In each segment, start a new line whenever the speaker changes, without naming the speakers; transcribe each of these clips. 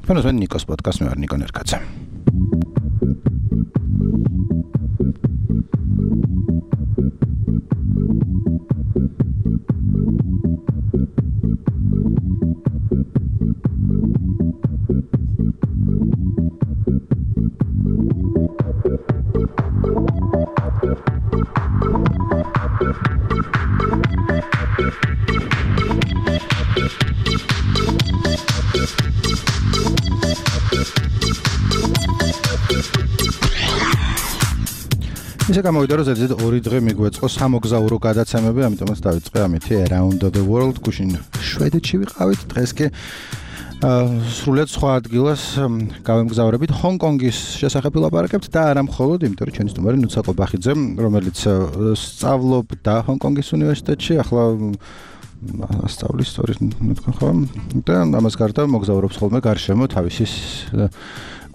ფენოს მე ნიკოს პოდკასტ მე ვარ ნიკო ნერკაძე. ისე გამოვიდა რომ ზედიზედ 2 დღე მიგვეწყო სამოგზაურო გადაცემები, ამიტომაც დავიწყე ამითი Around the World გუშინ შვედეთში ვიყავით, დღეს კი სრულიად სხვა ადგილას გავემგზავრებით ჰონკონგის შესახებ ვილაპარაკებთ და არა მხოლოდ, იმიტომ რომ ჩვენი სტუმარი ნუცა ყობახიძე, რომელიც სწავლობდა ჰონკონგის უნივერსიტეტში, ახლა ასწავლის ისტორიის თქვენ ხო? და ამას გარდა მოგზაურობს ხოლმე გარშემო თავისი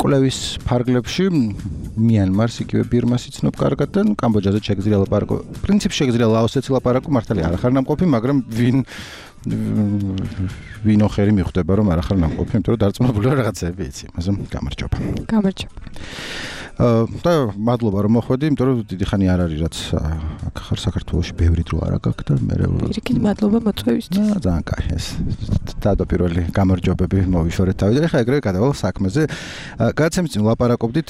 კვლევის ფარგლებში მიანმარს იგივე ბირმას იცნობ კარგად და კამბოჯაზე შეგიძლია ლაპარაკო. პრინციპში შეგიძლია ლაოსეც ლაპარაკო, მართალი არ ახარ ნამყოფი, მაგრამ ვინ ოხერი მიხვდება რომ არ ახარ ნამყოფი, იმიტომ რომ დარწმუნებულია რაღაცები იცი, ამაზე გამარჯობა.
გამარჯობა.
და მადლობა რომ მოხვედი, იმიტომ რომ დიდი ხანი არ არის რაც აქ ხარ საქართველოში ბევრი დრო არა გაქვს და მე
პირიქით მადლობა მოწვევისთვის.
ძალიან კაი ეს თავდაპირველი გამარჯვებები მოვიშორეთ თავიდან. ეხლა ეგრევე გადავალ საქმეზე. გადაცემის წინ ლაპარაკობდით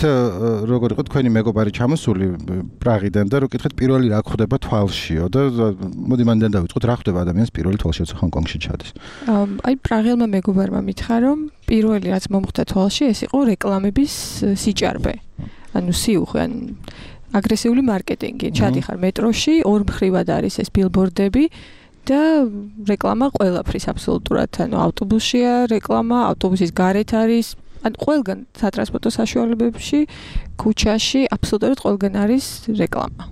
როგორ იყო თქვენი მეგობარი ჩამოსული პრაღიდან და რო კითხეთ პირველი რა ხდება თვალშიო და მოდი მანდ დავიწყოთ რა ხდება ადამიანს პირველი თვალში როცა ჰონკონგში ჩადის.
აი პრაღელმა მეგობარმა მითხრა რომ პირველი რაც მომხდა თვალში ეს იყო რეკლამების სიჭარბე. ანუ სიუხვე, ან აგრესიული მარკეტინგი. ჩადიხარ მეტროში, ორ მხრივად არის ეს ბილბორდები და რეკლამა ყველაფრის აბსოლუტურად, ანუ ავტობუსშია რეკლამა, ავტობუსის გარეთ არის, ან ყველგან სატრანსპორტო საშუალებებში, ქუჩაში, აბსოლუტურად ყველგან არის რეკლამა.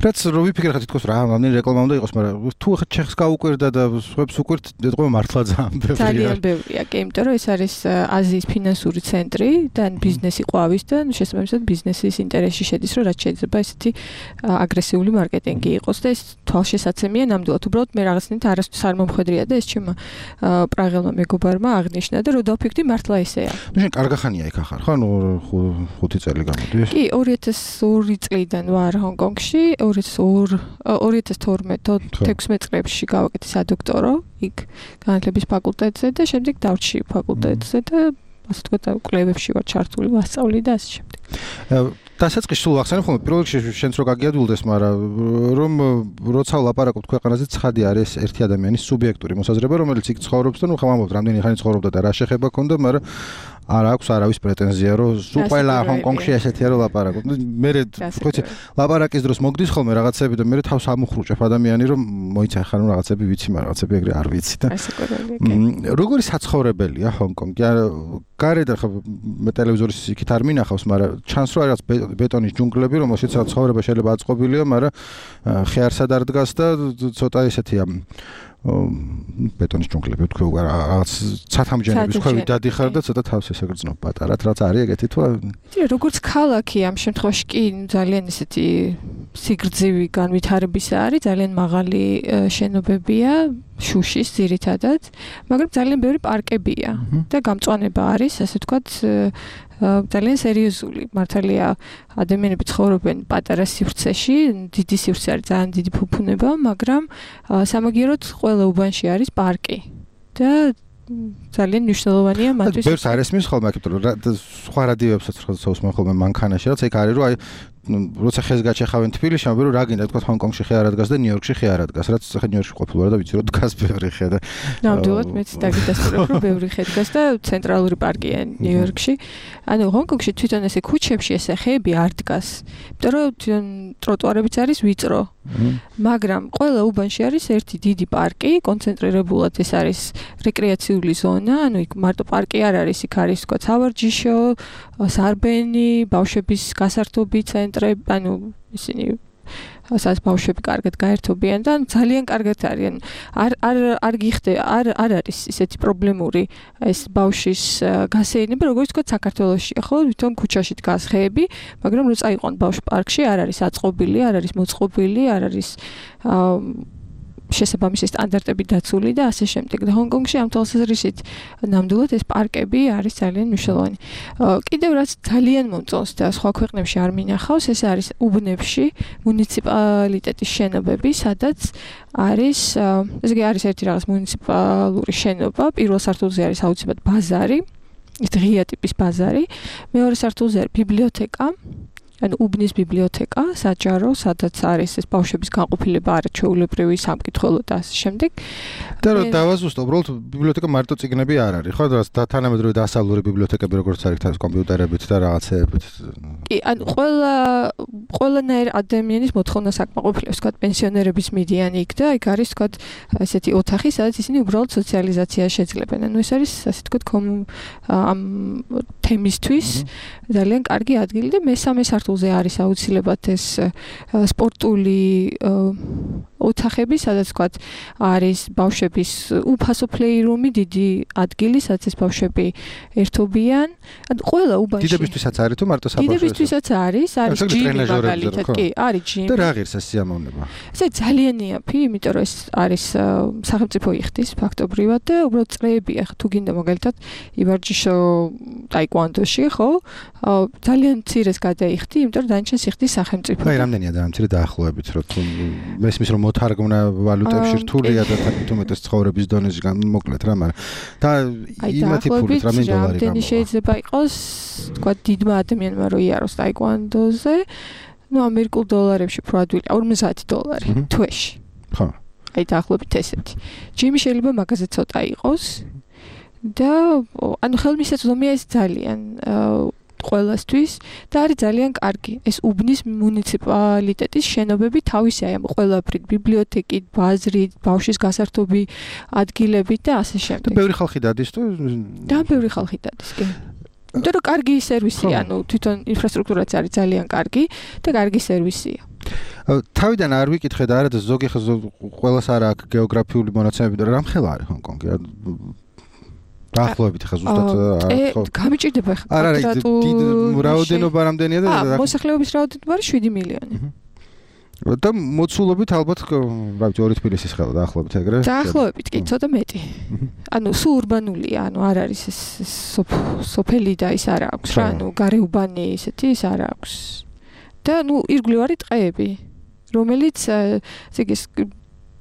რაც რო ვიფიქრე ხა თითქოს რა ამდენი რეკლამა უნდა იყოს, მაგრამ თუ ხა ჩეხს გაუკვირდა და სხვებს უკვირთ, ეთქვა მართლა ძალიან ბევრია.
ძალიან ბევრია, კი, იმიტომ რომ ეს არის აზიის ფინანსური ცენტრი და ბიზნესი ყვავის და შესაბამისად ბიზნესის ინტერესში შედის, რომ რაც შეიძლება ესეთი აგრესიული მარკეტინგი იყოს და ეს თვალშესაცემია ნამდვილად. უბრალოდ მე რაღაცნაირად არასდროს არ მომხედრია და ეს ჩემმა პრაღელმა მეგობარმა აღნიშნა და რო დავფიქრდი მართლა ესეა.
ნუ შენ კარგახანია იქ ახარ, ხო? ნუ 5 წელი გამოდის.
კი, 2002 წლიდან ვარ ჰონკონგში, 2012-16 წლებში გავაკეთე სადოქტორო იქ განათლების ფაკულტეტზე და შემდეგ დავრჩი ფაკულტეტზე და ასე ვთქვათ, კვლევებში ვარ ჩართული, ვასწავლი და ასე შემდეგ.
დასაწყისში სულ ახსენე ხოლმე პირველ რიგში შენც რო გაგიადვილდეს, მაგრამ რომ როცა ვლაპარაკობთ ქვეყანაზე ცხადი არის ერთი ადამიანის სუბიექტური მოსაზრება, რომელიც იქ ცხოვრობს და ნუ ხამამობთ რამდენი ხანი ცხოვრობდა და რა შეხება ქონდა, მაგრამ არ აქვს არავის პრეტენზია, რომ სულ ყველა ჰონკონგში ესეთია რომ ლაპარაკობ. მე ხოთი ლაპარაკის დროს მოგდის ხოლმე რაღაცები და მე თავს ამუხრუჭებ ადამიანი, რომ მოიცა ხარ რომ რაღაცები ვიცი, მაგრამ რაღაცები ეგრე არ ვიცი და როგორი საცხოვრებელია ჰონკონგი? გარეთ ახლა მე ტელევიზორის იქით არ მინახავს, მაგრამ ჩანს რომ არის ბეტონის ჯუნგლები, რომელშიც ცხოვრება შეიძლება აწყობილია, მაგრამ ხეარსად არ დგას და ცოტა ესეთია ბეტონის ჯუნგლები თქვი რაღაც ცათამბჯენების ქვევით დადიხარ და ცოტა თავს ესე გრძნობ პატარად, რაც არის ეგეთი თუ
როგორც ქალაქი ამ შემთხვევაში კი ძალიან ესეთი სიგრძივი განვითარებისა არის, ძალიან მაღალი შენობებია, შუშის ძირითადად, მაგრამ ძალიან ბევრი პარკებია და გამწვანება არის, ასე ვთქვათ, ძალიან სერიოზული. მართალია ადამიანები ცხოვრობენ პატარა სივრცეში, დიდი სივრცე არის, ძალიან დიდი ფუფუნება, მაგრამ სამაგიეროდ ყველა უბანში არის პარკი და ძალიან მნიშვნელოვანია მათთვის.
ბევრს არ ესმის ხოლმე, იმიტომ რომ სხვა რადიოებსაც ხსოვს ხოლმე მანქანაში, რაც ეგ არის, რომ აი როცა ხეს გაჩეხავენ თბილისში, ამბობენ რომ რა გინდა თქვა ჰონკონგში ხე არ ადგას და ნიუ-იორკში ხე არ ადგას, რაც ხე ნიუ-იორკში ყოფილი ვარ და ვიცი რომ დგას ბევრი ხე და
ნამდვილად მეც დაგიდასტურებ რომ ბევრი ხე დგას და ცენტრალური პარკია ნიუ-იორკში. ანუ ჰონკონგში თვითონ ესე ქუჩებში ესე ხეები არ დგას, იმიტომ რომ თვითონ ტროტუარებიც არის ვიწრო. მაგრამ ყველა უბანში არის ერთი დიდი პარკი, კონცენტრირებულად ეს არის რეკრეაციული ზონა, ანუ იქ მარტო პარკი არ არის, იქ არის თქვა სავარჯიშო, სარბენი, ბავშვების გასართობი ცენტრები, ანუ ისინი ასაც ბავშვები კარგად გაერთობიან და ძალიან კარგად არიან. არ გიხდება, არ არის ისეთი პრობლემური ეს ბავშვის გასეირნება, როგორც თქვა საქართველოში. ხო, თვითონ ქუჩაში დგას ხეები, მაგრამ რო წაიყვან ბავშვ პარკში არ არის აწყობილი, არ არის მოწყობილი, არ არის შესაბამისი სტანდარტები დაცული და ასე შემდეგ. და ჰონკონგში ამ თვალსაზრისით ნამდვილად ეს პარკები არის ძალიან მნიშვნელოვანი. კიდევ რაც ძალიან მომწონს და სხვა ქვეყნებში არ მინახავს, ეს არის უბნებში მუნიციპალიტეტის შენობები, სადაც არის ესე იგი არის ერთი რაღაც მუნიციპალური შენობა, პირველ სართულზე არის აუცილებლად ბაზარი, ეს ღია ტიპის ბაზარი, მეორე სართულზე არის ბიბლიოთეკა, ანუ უბნის ბიბლიოთეკა, საჯარო, სადაც არის ეს ბავშვების განყოფილება, არაჩვეულებრივი სამკითხველო და ასე შემდეგ.
და რომ დავაზუსტო, უბრალოდ ბიბლიოთეკა მარტო წიგნები არ არის, ხო? და თანამედროვე დასავლური ბიბლიოთეკები როგორც არის თან კომპიუტერებით და რაღაცეებით.
კი, ანუ ყველანაირ ადამიანის მოთხოვნა საკმაყოფილებს, თქვა პენსიონერების მიდიან იქ და იქ არის თქვა ესეთი ოთახი, სადაც ისინი უბრალოდ სოციალიზაცია შეძლებენ. ანუ ეს არის ასე თქვა ამ თემისთვის ძალიან კარგი ადგილი და მესამე სართულზე არის აუცილებლად ეს სპორტული ოთახები, სადაც თქვა არის ბავშვების უფასო პლეირუმი, დიდი ადგილი, სადაც ეს ბავშვები ერთობიან. ანუ ყველა უბანში.
დიდებისთვისაც არის თუ მარტო საბავშვო?
დიდებისთვისაც არის ჯიმი მაგალითად, კი, არის ჯიმი.
და რა ღირს ეს სიამოვნება?
ეს ძალიან იაფი, იმიტომ რომ ეს არის სახელმწიფო იხდის ფაქტობრივად და უბრალოდ წრეებია, თუ გინდა მაგალითად ივარჯიშო ტაიკვანდოში, ხო? ძალიან მცირეს გადაიხდი, იმიტომ რომ დანარჩენს იხდის სახელმწიფო.
აი, რამდენია ძალიან მცირე დაახლოებით, რომ თუ მესმის რომ მოთარგმნა ვალუტებში რთულია და თვითონ უმეტეს ცხოვრების დონეზე მოკლედ რა, მაგრამ და იმათი ფულით რამდენი დოლარი გამოვა?
რამდენი შეიძლება იყოს, თქვა დიდმა ადამიანმა რო იაროს ტაიკვანდოზე, ну ამერიკულ დოლარებში პროდუქტი $50 თვეში.
ხო.
აი დაახლოებით ესეთი. ჯიმი შეიძლება მაგაზე ცოტა იყოს და ანუ ხელმისაწვდომია ეს ძალიან ყველასთვის და არის ძალიან კარგი. ეს უბნის მუნიციპალიტეტის შენობები თავისი აი ამ ყველაფრით, ბიბლიოთეკით, ბაზრით, ბავშვის გასართობი ადგილებით და ასე შემდეგ.
და ბევრი ხალხი დადის თუ?
და ბევრი ხალხი დადის, კი. იმიტომ რომ კარგი სერვისია, ანუ თვითონ ინფრასტრუქტურაც არის ძალიან კარგი და კარგი სერვისია.
თავიდან არ ვიკითხე და არა და ზოგი ყველას არა აქვს გეოგრაფიული მონაცემები და რამხელა არის ჰონკონგი? დაახლოებით ხა ზუსტად
ხო გამიჭირდება ხა
კვადრატული რაოდენობა რამდენია და
მოსახლეობის რაოდენობა არის 7 მილიონი.
და მოცულობით ალბათ რა ვიცი 2 თბილისის ხელა დაახლოებით ეგრე?
დაახლოებით კი ცოტა მეტი. ანუ სულ урბანულია, ანუ არ არის ეს სოფელი და ის არ აქვს რა, ანუ გარეუბანი ესეთი ის არ აქვს. და ნუ ირგვლივ არის ტყეები, რომელიც ესე იგი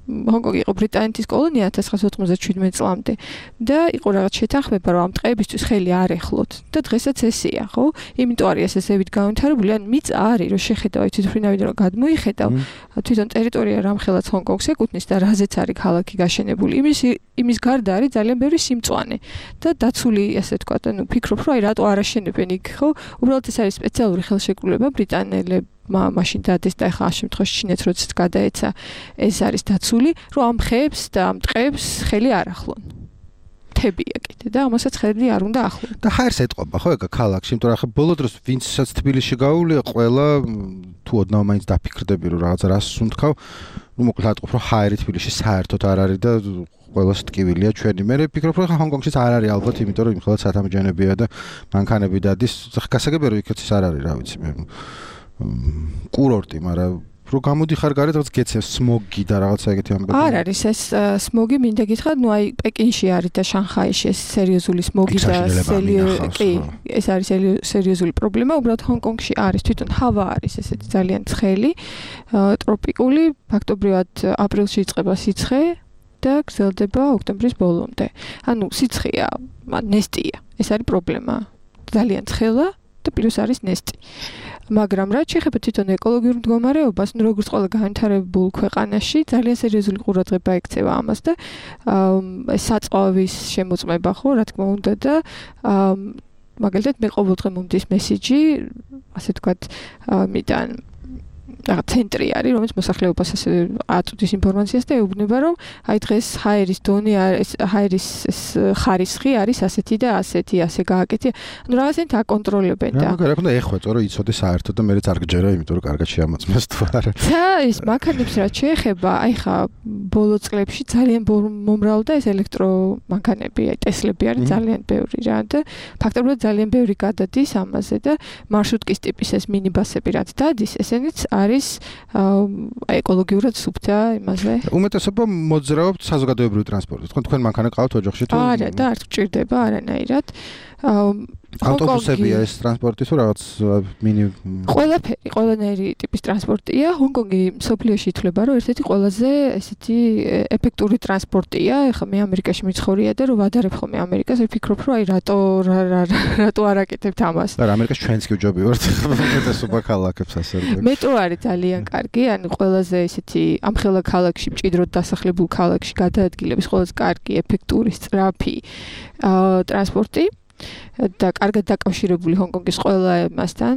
ჰონკონგი იყო ბრიტანეთის კოლონია 1997 წლამდე და იყო რაღაც შეთანხმება რომ ამ ტყეებისთვის ხელი არ ეხლოთ და დღესაც ესეა ხო იმიტომ არის ესებით განვითარებული ან მიწა არის რომ შეხედავ თვითმფრინავიდან რომ გადმოიხედავ თვითონ ტერიტორია რამხელაც ჰონკონგს ეკუთვნის და რაზეც არის ქალაქი გაშენებული იმის გარდა არის ძალიან ბევრი სიმწვანე და დაცული ასე თქვა ანუ ფიქრობ რომ აი რატო არ აშენებენ იქ ხო უბრალოდ ეს არის სპეციალური ხელშეკრულება ბრიტანელებს მაშინ დადეს და ახლა ამ შემთხვევაში ჩინეთს როდესაც გადაეცა ეს არის დაცული რომ ამ ხეებს და ამ ტყეებს ხელი არ ახლონ თებია კიდე და ამასაც ხელი არ უნდა ახლონ
და ხაერს ეტყობა ხო ეგ ქალაქში იმიტომ რომ ახლა ბოლო დროს ვინცაც თბილისში გაუვლია ყველა თუ ოდნავ მაინც დაფიქრდები რომ რაღაცა რას სუნთქავ ну მოკლედ ატყობ რომ ხაერი თბილისში საერთოდ არ არის და ყველას ტკივილია ჩვენი მე ვფიქრობ რომ ჰონკონგშიც არ არის ალბათ იმიტომ რომ იმხელა სათამბჯენებია და მანქანები დადის გასაგებია რომ იქაც არ არის რა ვიცი მე კურორტი, მაგრამ რო გამოდიხარ გარეთ რაღაც გეცეს სმოგი და რაღაცა ეგეთი ამბები.
არ არის ეს სმოგი მინდა გითხრათ, ნუ აი პეკინში არის და შანხაიში ეს სერიოზული სმოგი და კი, ეს არის სერიოზული პრობლემა, უბრალოდ ჰონკონგში არის თვითონ ჰავა არის ესეთი ძალიან ცხელი, ტროპიკული, ფაქტობრივად აპრილში იწყება სიცხე და გრძელდება ოქტომბრის ბოლომდე. ანუ სიცხეა, ნესტია. ეს არის პრობლემა. ძალიან ცხელა და პლუს არის ნესტი. მაგრამ რაც შეეხება თვითონ ეკოლოგიურ მდგომარეობას, ნუ როგორც ყველა განვითარებულ ქვეყანაში, ძალიან სერიოზული ყურადღება ექცევა ამას და საწვავის შემოწმება ხო, რა თქმა უნდა და მაგალითად მე ყოველდღე მომდის მესიჯი, ასე ვთქვათ, მიდან რაღაც ცენტრი არის, რომელიც მოსახლეობას ასე აწვდის ინფორმაციას და ეუბნება, რომ აი დღეს ჰაერის დონე არის, ჰაერის ხარისხი არის ასეთი და ასეთი, ასე გააკეთე. ანუ რაღაცნაირად აკონტროლებენ და
რა თქმა უნდა ეხვეწო რომ იცოდე საერთოდ და მეც არ გჯერა, იმიტომ რომ კარგად შეამოწმეს თუ არა.
და ის მანქანებს რაც შეეხება, აი ხა ბოლო წლებში ძალიან მომრავლდა ეს ელექტრომანქანები, აი ტესლები არის ძალიან ბევრი რა და ფაქტობრივად ძალიან ბევრი გადადის ამაზე და მარშრუტკის ტიპის ეს მინიბასები რაც დადის, ესენიც არის არის ეკოლოგიურად სუფთა იმაზე.
უმეტესობა მოძრაობთ საზოგადოებრივ ტრანსპორტით. თქვენ მანქანა ყავთ ოჯახში თუ?
არა, და არ გჭირდება არანაირად.
ავტობუსებია ეს ტრანსპორტი თუ რაღაც მინი
ყველაფერი, ყველანაირი ტიპის ტრანსპორტია. ჰონკონგი მსოფლიოში ითვლება, რომ ერთ-ერთი ყველაზე ესეთი ეფექტური ტრანსპორტია. ეხლა მე ამერიკაში მიცხოვრია და რომ ვადარებ ხოლმე ამერიკას, ვფიქრობ, რომ აი რატო არ აკეთებთ ამას.
არა, ამერიკაში ჩვენც კი ვჯობი ვართ. უმეტესობა ქალაქებს ასე რომ.
მეტრო არის ძალიან კარგი, ანუ ყველაზე ესეთი ამხელა ქალაქში, მჭიდროდ დასახლებულ ქალაქში გადაადგილების ყველაზე კარგი, ეფექტური, სწრაფი ტრანსპორტი. და კარგად დაკავშირებული ჰონკონგის ყველა მასთან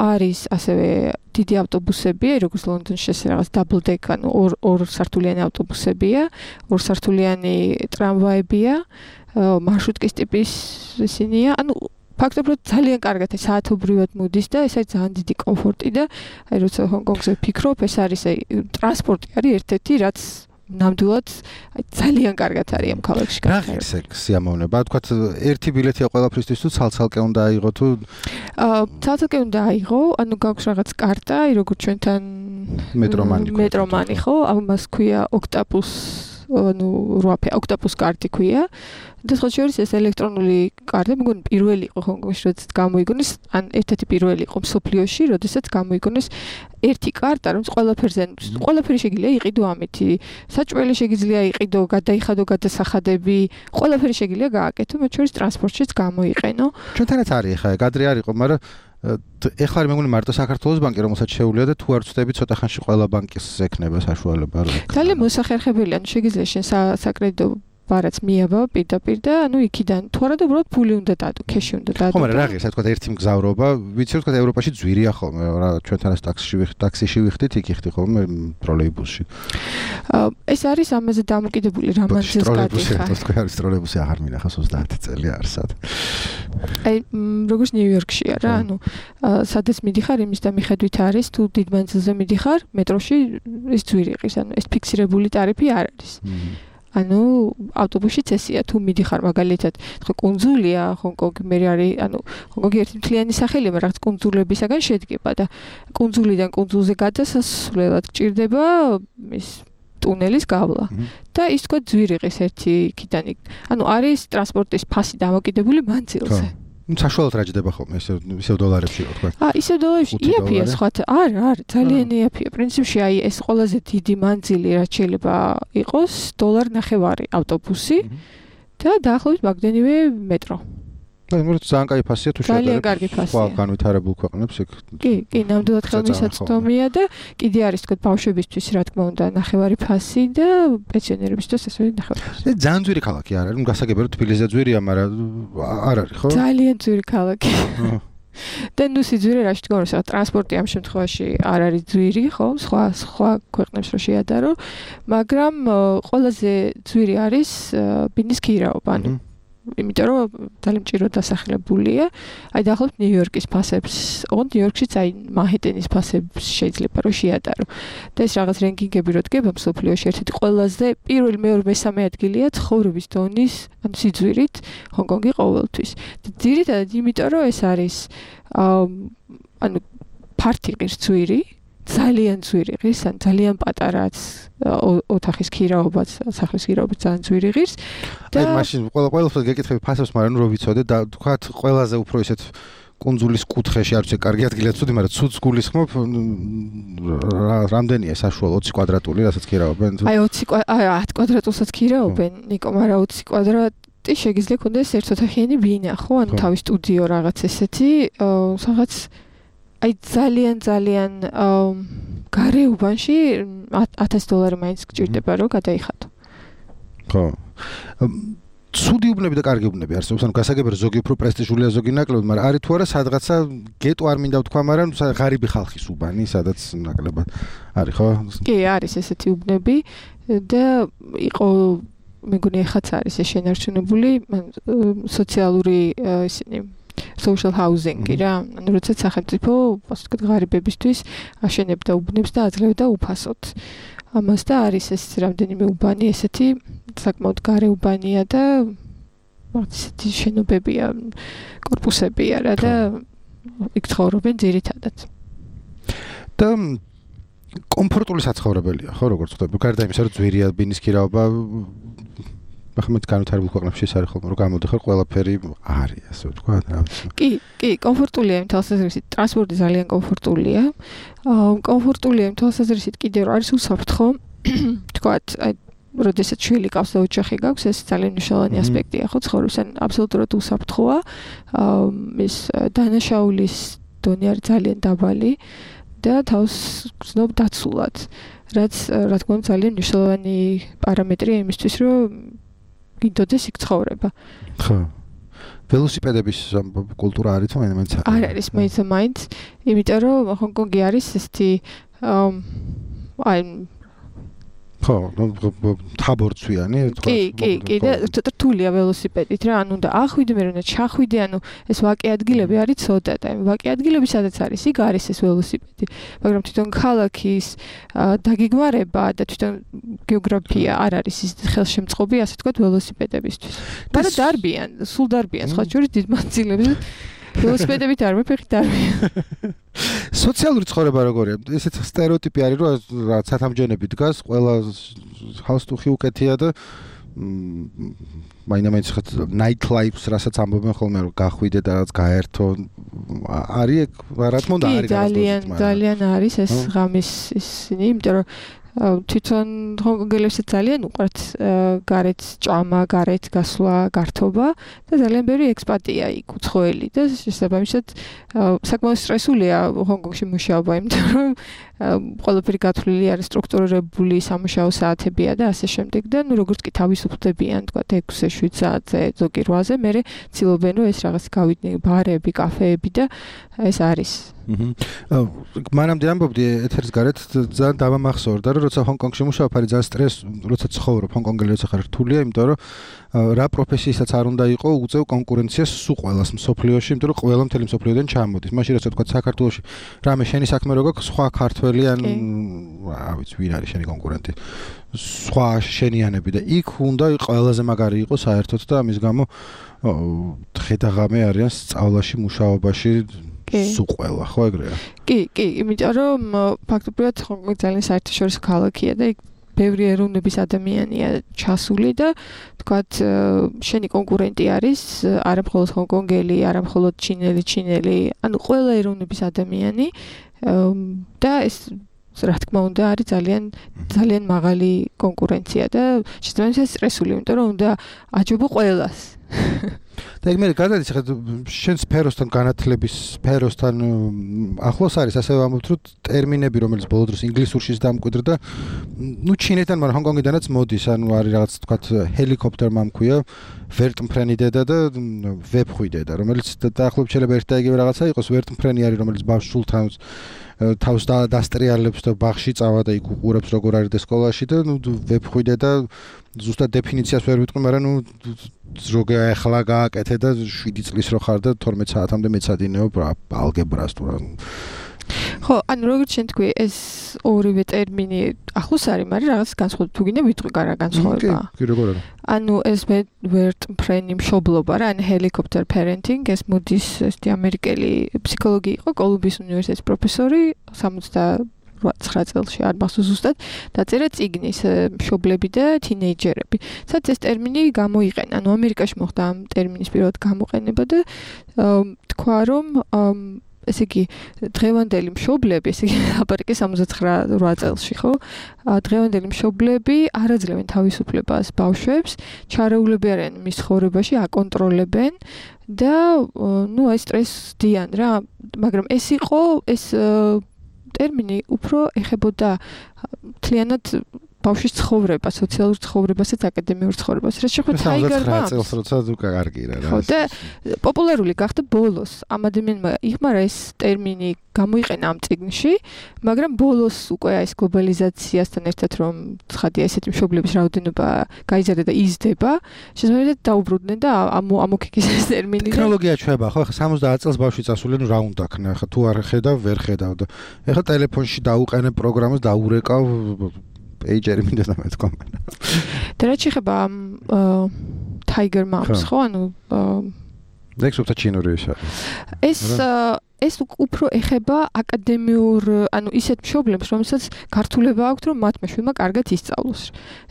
არის ასევე დიდი ავტობუსები, როგორც ლონდონში ეს რაღაც double deck, ანუ ორსართულიანი ავტობუსებია, ორსართულიანი ტრამვაებია, მარშრუტკის ტიპის ისინია, ანუ ფაქტობრივად ძალიან კარგად საათობრივად მოდის და ეს არის ძალიან დიდი კომფორტი და აი როცა ჰონკონგზე ვფიქრობ, ეს არის აი ტრანსპორტი არის ერთ-ერთი, რაც ნამდვილად ძალიან კარგად არის ამ ქალაქში.
რა ღირს ეგ სიამოვნება? თქვათ ერთი ბილეთია ყველაფრისთვის თუ ცალ-ცალკე უნდა აიღო თუ
ცალ-ცალკე უნდა აიღო, ანუ გაქვს რაღაც კარტა, როგორც ჩვენთან მეტრომანი ხო? ამას ქვია ოქტაპუს, ანუ ოქტაპუს კარტი ქვია. და სხვა შორის ეს ელექტრონული კარტა, მეგონი პირველი იყო ჰონკონგში, როდესაც გამოიგონეს, ან ერთ-ერთი პირველი იყო მსოფლიოში, როდესაც გამოიგონეს ერთი კარტა, რომელიც ყველაფერი შეგიძლია იყიდო ამითი. საჭმელი შეგიძლია იყიდო, გადაიხადო გადასახადები, ყველაფერი შეგიძლია გააკეთო, მათ შორის ტრანსპორტშიც გამოიყენო.
ჩვენთანაც არის ხა, გადრე არ იყო, მაგრამ ეხლა მე მგონი მარტო საქართველოს ბანკი რომელსაც შეუძლია და თუ არ ვწდები ცოტა ხანში ყველა ბანკის ექნება საშუალება რომ
ძალიან მოსახერხებელია, ანუ შეგიძლია შენ საკრედიტო ბარაც მიაბა პირდაპირ და ანუ იქიდან თუ არა და უბრალოდ ფული უნდა დადო, ქეში უნდა დადო.
ხო, მაგრამ რა ღირს, თქვა ერთი მგზავრობა, ვიცი რომ თქვა ევროპაში ძვირია ხოლმე, რა ჩვენთანაც ტაქსიში ვიხდით, იქ იხდი ხოლმე ტროლეიბუსში.
ეს არის ამაზე დამოკიდებული რა მანძილს გადიხარ.
თქვა არის ტროლეიბუსი აღარ მინახავს 30 წელი არსად.
აი როგორც ნიუ-იორკშია რა, ანუ სადაც მიდიხარ, იმის და მიხედვით არის, თუ დიდ მანძილზე მიდიხარ, მეტროში ეს ძვირი ყის, ანუ ეს ფიქსირებული ტარიფი არ არის. ანუ ავტობუსშიც ესეა, თუ მიდიხარ მაგალითად, თქვა კუნძულია, ჰონკონგი მე არის, ანუ ჰონკონგი ერთი მთლიანი სახელია, მაგრამ რაღაც კუნძულებისაგან შედგება და კუნძულიდან კუნძულზე გადასასვლელად გჭირდება ის ტუნელის გავლა. და ის თქვა ძვირიღის ერთი იქიდან. ანუ არის ტრანსპორტის ფასი დამოკიდებული მანძილზე.
საშუალოდ რა ჯდება ხოლმე ისევ დოლარებში რო თქვა.
ისევ დოლარებში იაფია სხვათა. არა, ძალიან იაფია. პრინციპში აი ეს ყველაზე დიდი მანძილი რაც შეიძლება იყოს $1.50 ავტობუსი და დაახლოებით მაგდენივე მეტრო.
და მერე ძალიან კაი ფასია თუ შედარებით.
ძალიან კარგი ფასია.
სხვა განვითარებულ ქვეყნებს იქ.
კი, ნამდვილად ხელმისაწვდომია და კიდე არის თქვა ბავშვებისთვის რა თქმა უნდა ნახევარი ფასი და პენსიონერებისთვის ესე ნახევარი ფასი.
ძალიან ძვირი ქალაქი არ არის, გასაგებია რომ თბილისზე ძვირია, მაგრამ არ არის, ხო?
ძალიან ძვირი ქალაქი. და ნუ სიძვირე რაში თქოს, რა ტრანსპორტი ამ შემთხვევაში არ არის ძვირი, ხო? სხვა ქვეყნებს რო შეადარო, მაგრამ ყველაზე ძვირი არის ბინის ქირაობა, ანუ იმიტომ რომ ძალიან მჭიროდ დასახლებულია. აი დაახლოებით ნიუ-იორკის ფასებს, ოღონდ ნიუ-იორკშიც აი მანჰეტენის ფასებს შეიძლება რომ შეადარო. და ეს რაღაც რენკინგები რო დგება მსოფლიოში ერთ-ერთი ყველაზე პირველი, მეორე, მესამე ადგილია ცხოვრების დონის, ანუ სიძვირით ჰონკონგი ყოველთვის. და ძირითადად იმიტომ რომ ეს არის ანუ ფართი ღირს ძვირი, ძალიან ძვირი ღირს, ან ძალიან პატარაც ოთახის ქირაობაც, სახლის ქირაობაც ძალიან ძვირი ღირს.
და აი მაშინ ყველაფერს გეკითხები ფასებს, მაგრამ ნუ რო ვიცოდე და თქვათ ყველაზე უფრო ისეთ კუნძულის კუთხეში არ ვიცი, კარგი ადგილია ცუდი, მაგრამ ცუდს გულისხმობ რამდენია საშუალო 20 კვადრატული, რასაც ქირაობენ?
აი 10 კვადრატულსაც ქირაობენ, ნიკო, მაგრამ 20 კვადრატი შეგიძლია ქონდეს ერთოთახიანი ბინა, ხო? ანუ თავის სტუდიო რაღაც ესეთი, რაღაც აი ძალიან გარეუბანში $1000 მაინც გჭირდება რომ გადაიხადო.
ხო. ცუდი უბნები და კარგი უბნები არსებობს, ანუ გასაგებია ზოგი უფრო პრესტიჟულია, ზოგი ნაკლებად, მაგრამ არის თუ არა სადღაცა გეტო არ მინდა ვთქვა, მაგრამ ღარიბი ხალხის უბანი, სადაც ნაკლებად არის, ხო?
კი, არის ესეთი უბნები და იყო მეგონი ახაც არის ეს შენარჩუნებული სოციალური ისინი social housing-ი რა, ანუ როდესაც სახელმწიფო, ასე ვთქვათ, ღარიბებისთვის აშენებდა უბნებს და აძლევდა უფასოდ. ამას და არის ეს რამდენიმე უბანი, ესეთი საკმაოდ გარე უბანია და ესეთი შენობებია, корпуსებია რა და იქ ცხოვრობენ ძირითადად.
და კომფორტული საცხოვრებელია, ხო, როგორც ხდება. გარდა იმისა, რომ ძვირია ბინისკი რაობა, ახლა განვითარებულ ქვეყნებში ის არის ხოლმე, რომ გამოდიხარ ყველაფერი არის, ასე ვთქვა, რა ვიცი.
კი, კომფორტულია იმ თვალსაზრისით, ტრანსპორტი ძალიან კომფორტულია. კომფორტულია იმ თვალსაზრისით კიდევ რომ არის უსაფრთხო, ვთქვათ, აი როდესაც შვილი ყავს და ოჯახი გაქვს, ეს ძალიან მნიშვნელოვანი ასპექტია, ხო, ცხოვრების, ან აბსოლუტურად უსაფრთხოა. ის დანაშაულის დონე არის ძალიან დაბალი და თავს გრძნობ დაცულად, რაც რა თქმა უნდა ძალიან მნიშვნელოვანი პარამეტრია იმისთვის, რომ გინდოდეს იქ ცხოვრება.
ხო. ველოსიპედების კულტურა არის თუ მაინც
არ არის მაინც, იმიტომ რომ ჰონკონგი არის ესეთი აი
ხო, თაბორცვიანი,
კი, და რთულია ველოსიპედით რა, ანუ და ახვიდე მე რომ ჩახვიდე, ანუ ეს ვაკე ადგილები არის ცოტა და ვაკე ადგილები სადაც არის, იქ არის ეს ველოსიპედი, მაგრამ თვითონ ქალაქის დაგეგმარება და თვითონ გეოგრაფია არ არის ის ხელშემწყობი, ასე ვთქვათ, ველოსიპედებისთვის. მაგრამ დარბიან, სულ დარბიან, სხვა შორის დიდ მანძილებზე ველოსიპედებით არ მეფეხით დარბიან.
სოციალური ცხოვრება როგორია? ესეც სტერეოტიპი არის, რომ რაც სათამჯენები დგას, ყველა ჰალსტუხი უკეთია და მაინც ხეთ night life-ს რასაც ამბობენ ხოლმე, რომ გახვიდე და რაც გაერთო. არის რა თქმა უნდა არის
ძალიან არის ეს ღამის ისინი, იმიტომ რომ თვითონ ჰონკონგელებს ძალიან უყვართ გარეთ ჭამა, გარეთ გასვლა, გართობა და ძალიან ბევრი ექსპატია იქ უცხოელი და შესაბამისად საკმაოდ სტრესულია ჰონკონგში მუშაობა, იმიტომ რომ ყველაფერი გათვლილი არის, სტრუქტურირებული სამუშაო საათებია და ასე შემდეგ და ნუ როგორც კი თავისუფლდებიან, თქვა 6-ზე, 7 საათზე, ზოგი 8-ზე, მერე ცდილობენ რომ ეს რაღაც გავიდნენ ბარები, კაფეები და ეს არის.
მანამდე ამბობდი ეთერის გარეთ ძალიან დავამახსოვრდა რომ როცა ჰონკონგში მუშაობ არის ძალიან სტრესი, როცა ცხოვრობ ჰონკონგელი როცა ხარ რთულია, იმიტომ რომ რა პროფესიასაც არ უნდა იყო უწევ კონკურენციას სულ ყველას მსოფლიოში, იმიტომ რომ ყველა მთელი მსოფლიოდან ჩამოდის. მაშინ როცა თქვა საქართველოში რამე შენი საქმე რო გაქვს, სხვა ქართველი ან რა ვიცი ვინ არის შენი კონკურენტი. სხვა შენიანები და იქ უნდა ყველაზე მაგარი იყოს საერთოდ და ამის გამო ხედაღამე არიან სწავლაში, მუშაობაში სულ ყველა, ხო ეგრეა?
კი, იმიტომ რომ ფაქტობრივად ჰონკონგი ძალიან საერთაშორისო ქალაქია და იქ ბევრი ეროვნების ადამიანია ჩასული და თქვათ შენი კონკურენტი არის არა მხოლოდ ჰონკონგელი, არა მხოლოდ ჩინელი, ანუ ყველა ეროვნების ადამიანი და ეს რა თქმა უნდა არის ძალიან მაღალი კონკურენცია და შესაბამისად სტრესული, იმიტომ რომ უნდა აჯობო ყველას.
და ეგ მე გადადის ხა შენ სფეროსთან განათლების სფეროსთან ახლოს არის ასე ვამბობთ რომ ტერმინები რომელიც ბოლო დროს ინგლისურშიც დამკვიდრდა ნუ ჩინეთთან მაგრამ ჰონკონგიდანაც მოდის ანუ არის რაღაც თქვათ ჰელიკოპტერმა მქვია ვერტმფრენი დედა და ვებხვი დედა რომელიც დაახლოებით შეიძლება ერთ და იგივე რაღაცა იყოს ვერტმფრენი არის რომელიც ბავშვს თავს დასტრიალებს და ბაღში წავა და იქ უყურებს როგორ არის და სკოლაში და ნუ ვებხვი დედა ზუსტად დეფინიციას ვერ ვიტყვი მაგრამ ნუ როგორ ახლა გააკეთე და 7 წლის რო ხარ და 12 საათამდე მეცადინეობ ალგებრას თუ რა
ხო, ანუ როგორც შენ თქვი, ეს ორივე ტერმინი ახლოს არის, მაგრამ რაღაც განსხვავებული თუ გინდა ვიტყვი რა განსხვავება.
კი, როგორ არა.
ანუ ეს ვერტმფრენი მშობლობა რა, ან helicopter parenting, ეს მოდის ესეთი ამერიკელი ფსიქოლოგი იყო, კოლუმბიის უნივერსიტეტის პროფესორი 79 წელში არ მახსოვს ზუსტად დაწერა წიგნის მშობლები და თინეიჯერები. სადაც ეს ტერმინი გამოიყენა. ანუ ამერიკაში მოხდა ამ ტერმინის პირველად გამოყენება და თქვა რომ ესე იგი დღევანდელი მშობლები, ესე იგი აპარაკი 79 წელში, ხო? დღევანდელი მშობლები არ აძლევენ თავისუფლებას ბავშვებს, ჩარეულები არიან მის ცხოვრებაში, აკონტროლებენ და ნუ აი სტრესდიან რა, მაგრამ ეს ტერმინი უფრო ეხებოდა მთლიანად ბავშვის ცხოვრება, სოციალურ ცხოვრებასაც, აკადემიურ ცხოვრებას. რაც შეხვდა ტაიგერმა.
9 წელს როცა კარგი რა.
ხო, და პოპულარული გახდა ბოლოს. ამ ადამიანმა იხმარა ეს ტერმინი გამოიყენა ამ წიგნში, მაგრამ ბოლოს უკვე ეს გლობალიზაციასთან ერთად რომ ცხადია ესეთი მშობლების რაოდენობა გაიზარდა და იზრდება, შესაძლოა დაუბრუნდნენ და ამოქიქეს ეს ტერმინი.
ტექნოლოგია ჩვება, ხო, ხა 70 წელს ბავშვი წასული, ნუ რა უნდა ქნა, ხა თუ არ ხედავ, ვერ ხედავ და ეხლა ტელეფონში დაუყენე პროგრამას დაურეკავ პეიჯერი მინდა და მეთქვა.
და რაც შეეხება Tiger Moms, ხო, ანუ
ექსპერტა ჩინური ის არის.
ეს ეს უფრო ეხება აკადემიურ, ანუ ისეთ მშობლებს, რომელსაც გართულება აქვთ, რომ მათმა შვილმა კარგად ისწავლოს.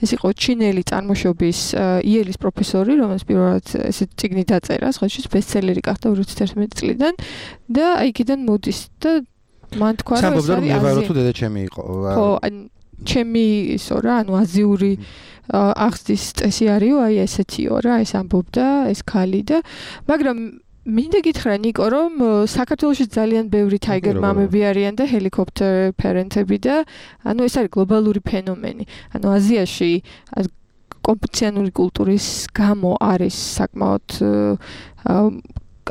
ეს იყო ჩინელი წარმოშობის იელის პროფესორი, რომელიც პირველად ესეთ წიგნი დაწერა, სხვათა ბესტსელერი გახდა 2011 წლიდან და აი იქიდან მოდის და მან თქვა, რომ ეს არის
მე ვარო თუ დედაჩემი იყო.
ხო, ჩემი ისო რა, ანუ აზიური აღზრდის წესი არისო, აი ესეთიო რა, ეს ამბობდა, ეს ქალი და მაგრამ მინდა გითხრა ნიკო, რომ საქართველოში ძალიან ბევრი ტაიგერ მამები არიან და ჰელიკოპტერ პერენტები და ანუ ეს არის გლობალური ფენომენი. ანუ აზიაში კონფუციანური კულტურის გამო არის საკმაოდ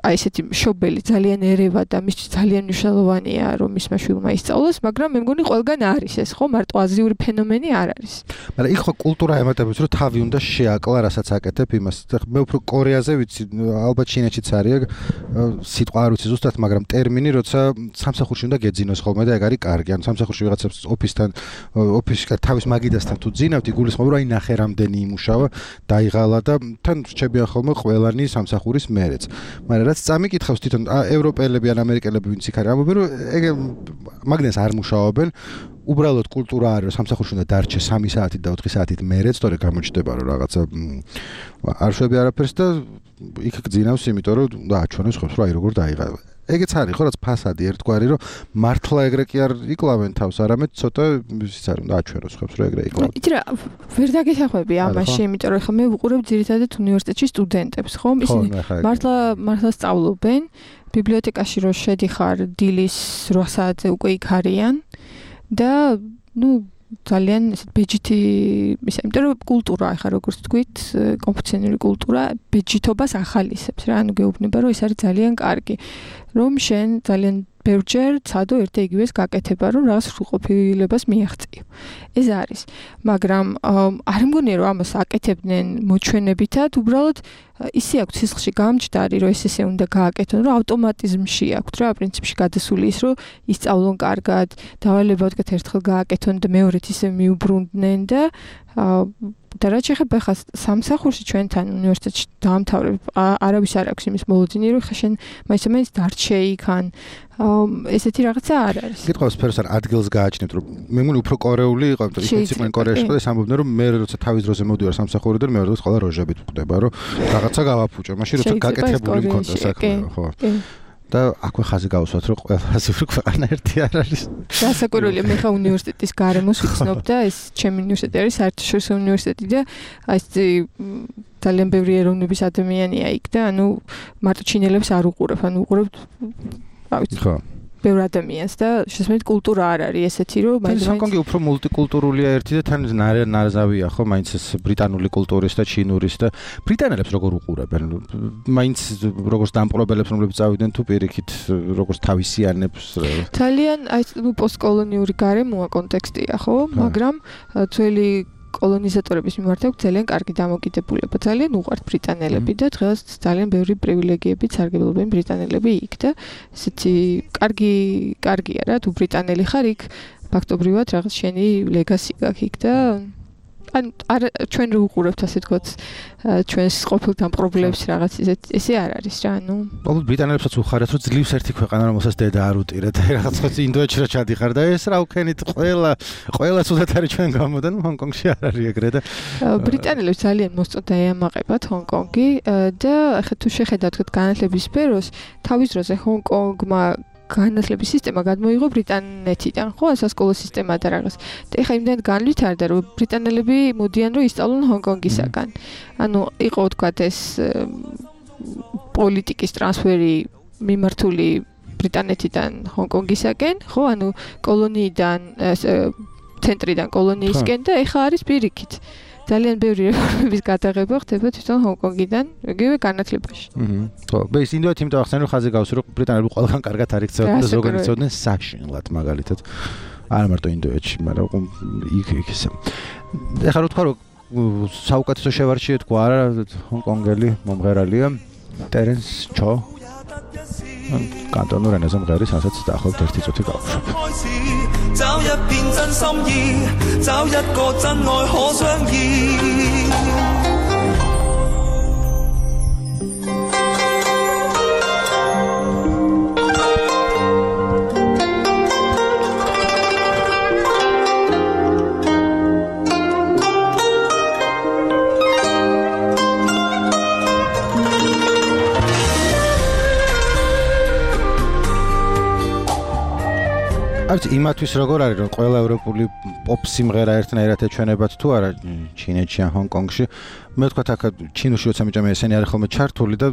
აი ესეთი მშობელი ძალიან ერევა და მისთვის ძალიან მნიშვნელოვანია რომ მისმა შვილმა ისწავლოს, მაგრამ მე მგონი ყველგან არის ეს, ხო, მარტო აზიური ფენომენი არ არის.
მაგრამ იქ ხო კულტურა ემატებს რომ თავი უნდა შეაკლა, რასაც აკეთებ იმას. მე უფრო კორეაზე ვიცი, ალბათ ჩინეთშიც არის სიტყვა არ ვიცი ზუსტად, მაგრამ ტერმინი, როცა სამსახურში უნდა გეძინოს ხოლმე და ეგ არის კარგი. ანუ სამსახურში ვიღაცებს ოფისში თავის მაგიდასთან თუ ძინავთ, იგულისხმობ რომ აი ნახე რამდენი იმუშავა, დაიღალა და თან რჩებიან ხოლმე ყველანი სამსახურის მერეც. რაც წამიკითხავს თვითონ ევროპელები ან ამერიკელები ვინც იქ არის ამბობენ რომ ეგ მაგნეს არ მუშაობენ უბრალოდ კულტურა არის რომ სამსახურში უნდა დარჩე 3 საათით და 4 საათით მერეც თორე გამოჩნდება რომ რაღაცა არ შვები არაფერს და იქ გძინავს იმიტომ რომ უნდა აჩვენოს ხებს რომ აი როგორ დაიღალა ეგეც არის ხო რაც ფასადი ერთგვარი რომ მართლა ეგრე კი არ იკლავენ თავს არამედ ცოტა ისიც არის უნდა აჩვენოს ხებს რომ ეგრე იკლავენ
იცი რა ვერ დაგეხმები ამაში იმიტომ რომ ხა მე ვუყურებ ძირითადად უნივერსიტეტში სტუდენტებს ხო ისინი მართლა სწავლობენ ბიბლიოთეკაში რო შედიხარ დილის 8 საათზე უკვე იქ არიან და ნუ ძალიან ესეთ ბეჯითი ისე იმიტომ რომ კულტურა ახლა როგორც თქვით კონფუციანური კულტურა ბეჯითობას ახალისებს რა ანუ გეუბნება რომ ეს არის ძალიან კარგი რომ შენ ძალიან ბევრჯერ ცადო ერთ იგივეს გაკეთება რომ რაღაც სრულყოფილებას მიაღწიო ეს არის მაგრამ არ მგონია რომ ამას აკეთებდნენ მოჩვენებითად უბრალოდ ისე აქვს სისხლში გამჯდარი რომ ესე უნდა გააკეთონ რომ ავტომატიზმში აქვს რა პრინციპში გადასული ის რომ ისწავლონ კარგად დავალებად ერთხელ გააკეთონ და მეორეთ ისე მიუბრუნდნენ და რაც შეხება ხა სამსახურში ჩვენთან უნივერსიტეტში დაამთავრებ არავის არ აქვს იმის მოლოდინი რომ ხა შენ მაინც დარჩე იქ ან ესეთი რაღაცა არ არის.
გითხავს სფეროს არ ადგილს გააჩნევთ რომ მე მგონი უფრო კორეული იყო იმიტომ რომ ისიც მან კორეაში და ეს ამბობდნენ რომ მე როცა თავის დროზე მოდივარ სამსახურიდან მე როცა ყველა როჟებით ვხვდება რომ რაღაცა გავაფუჭო მაშინ როცა გაკეთებული მქონდა საქმე ხო და აქვე ხაზი გავუსვათ რომ ყველაზე უფრო ქვეყანა ერთი არ არის.
დასაკვირველია მე ხა უნივერსიტეტის გარემოს ვიცნობ და ეს ჩემი უნივერსიტეტი არის საერთაშორისო უნივერსიტეტი და აი ეს ძალიან ბევრი ეროვნების ადამიანია იქ და ანუ მარტო ჩინელებს არ უყურებ, ანუ უყურებ რა ვიცი. ხო. ბევრ ადამიანს და შესაძლოა კულტურა არ არის ესეთი რომ
მაინც ჰონკონგი უფრო მულტიკულტურულია ერთი და თან ნარზავია ხო მაინც ეს ბრიტანული კულტურის და ჩინურის და ბრიტანელებს როგორ უყურებენ მაინც როგორც დამპყრობელებს რომლებიც წავიდნენ თუ პირიქით როგორც თავისიანებს
ძალიან აი ნუ პოსტკოლონიური გარემოა კონტექსტია ხო მაგრამ ძველი კოლონიზატორების მიმართ აქვს ძალიან კარგი დამოკიდებულება. ძალიან უყვართ ბრიტანელები და დღეს ძალიან ბევრი პრივილეგიებით სარგებლობენ ბრიტანელები იქ და ესეთი კარგია რა თუ ბრიტანელი ხარ იქ ფაქტობრივად რაღაც შენი ლეგასი გაქვს იქ და ან ჩვენ რო უყურებთ ასე თქვათ ჩვენს ყოფილ დამპყრობლებს რაღაც ესე არ არის რა ანუ
ალბათ ბრიტანელებსაც უხარათ რომ ძლივს ერთი ქვეყანა რომელსაც დედა არ უტირეთ რაღაც ხო ინდოეთში რა ჩადიხარ და ეს რა უქენით ყველა ცუდად არის ჩვენ გამოდან ჰონკონგში არ არის ეგრე და
ბრიტანელებს ძალიან მოსწოდა ეამაყებათ ჰონკონგი და ახლა თუ შეხედავთ თქვათ განათლების სფეროს თავის დროზე ჰონკონგმა განათლების სისტემა გადმოიღო ბრიტანეთიდან, ხო, სასკოლო სისტემა და რაღაც. და ეხლა იმდენ განვითარდა, რომ ბრიტანელები მოდიან რომ ისწავლონ ჰონკონგისაგან. ანუ იყო თქვათ ეს პოლიტიკის ტრანსფერი მიმართული ბრიტანეთიდან ჰონკონგისაკენ, ხო, ანუ კოლონიიდან ცენტრიდან კოლონიისკენ და ეხლა არის პირიქით. ძალიან ბევრი რეფორმების გადაღება ხდება თვითონ ჰონკონგიდან, იგივე განათლებაში.
ხო, ეს ინდოეთი იმიტომ ახსენე რომ ხაზი გავსი რომ ბრიტანელები ყველგან კარგად არ იქცევდნენ და ზოგადად იქცევდნენ საშინლად მაგალითად. არა მარტო ინდოეთში, მაგრამ იქ ისე. ეხლა რო თქვა რომ საუკეთესო შევარჩიე თქვა არა ჰონკონგელი მომღერალია ტერენს ჩო კანტონურ ენაზე მღერის, რასაც დაახლოებით 1 წუთი გავუშვებ. 找一片真心意，找一個真愛可相依。არც იმათვის როგორ არის რომ ყველა ევროპული პოპ სიმღერა ერთნაირად ეჩვენებათ თუ არა ჩინეთში ან ჰონკონგში მე ვთქვათ აქ ჩინოში როცა მიჭამე ესენი არის ხოლმე ჩართული და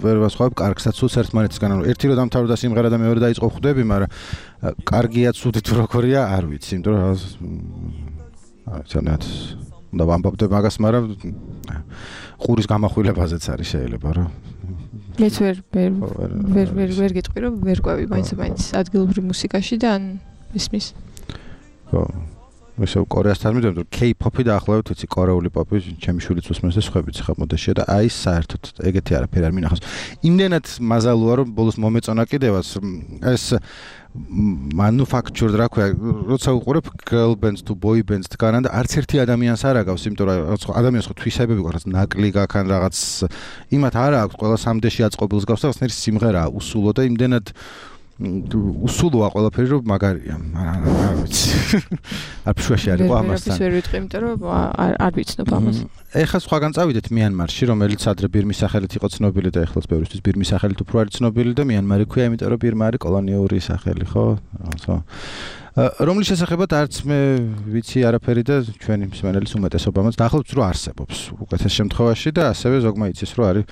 ვერ ვასხვავებ კარგსაც სულს ერთმანეთისგან რომ ერთი რომ დამთავრდა სიმღერა და მეორე დაიწყო ხვდები მაგრამ კარგია ცუდი თუ როგორია არ ვიცი იმიტომ რომ რაღაცნაირად და ვამბობდე მაგას მაგრამ ყურის გამახვილებაზეც არის შეიძლება რომ
მეც ვერ გეტყვი რომ ვერ ყვევი მაინც ადგილობრივ მუსიკაში და ან ისმის
ხო ისე კორეასთან მიდევ რომ K-pop-ი დაახლოებით ვიცი კორეული პოპი ჩემი შვილიც უსმენს და სხვაებიც ხა მოდაშია და აი საერთოდ ეგეთი არაფერი არ მინახავს იმდენად მაზალოა რომ ბოლოს მომეწონა კიდევაც ეს manufactured რა ქვია როცა უყურებ girl bands თუ boy bands დგანან და არც ერთი ადამიანს არ აგავს იმიტომ რომ ადამიანს ხო თვისებები გვაქვს ნაკლი გაქვს ან რაღაც იმათ არ აქვს ყველა სამდეში აწყობილს გავს და რაღაცნაირი სიმღერაა უსულო და იმდენად უსულოა ყველაფერი რომ მაგარია არ ვიცი არ ფშვაში არის ყო ამასთან
ვერ ვიტყვი იმიტომ რომ არ ვიცნობ ამას
ეხლა სხვაგან წავიდეთ მიანმარში რომელიც ადრე ბირმის სახელით იყო ცნობილი და ეხლაც ბევრისთვის ბირმის სახელით უფრო არის ცნობილი და მიანმარი ქვია იმიტომ რომ ბირმა არის კოლონიური სახელი ხო რომლის შესახებად არც მე ვიცი არაფერი და ჩვენი მსმენელის უმეტესობამაც დაახლოებით რომ არსებობს უკეთეს შემთხვევაში და ასევე ზოგმა იცის რომ არის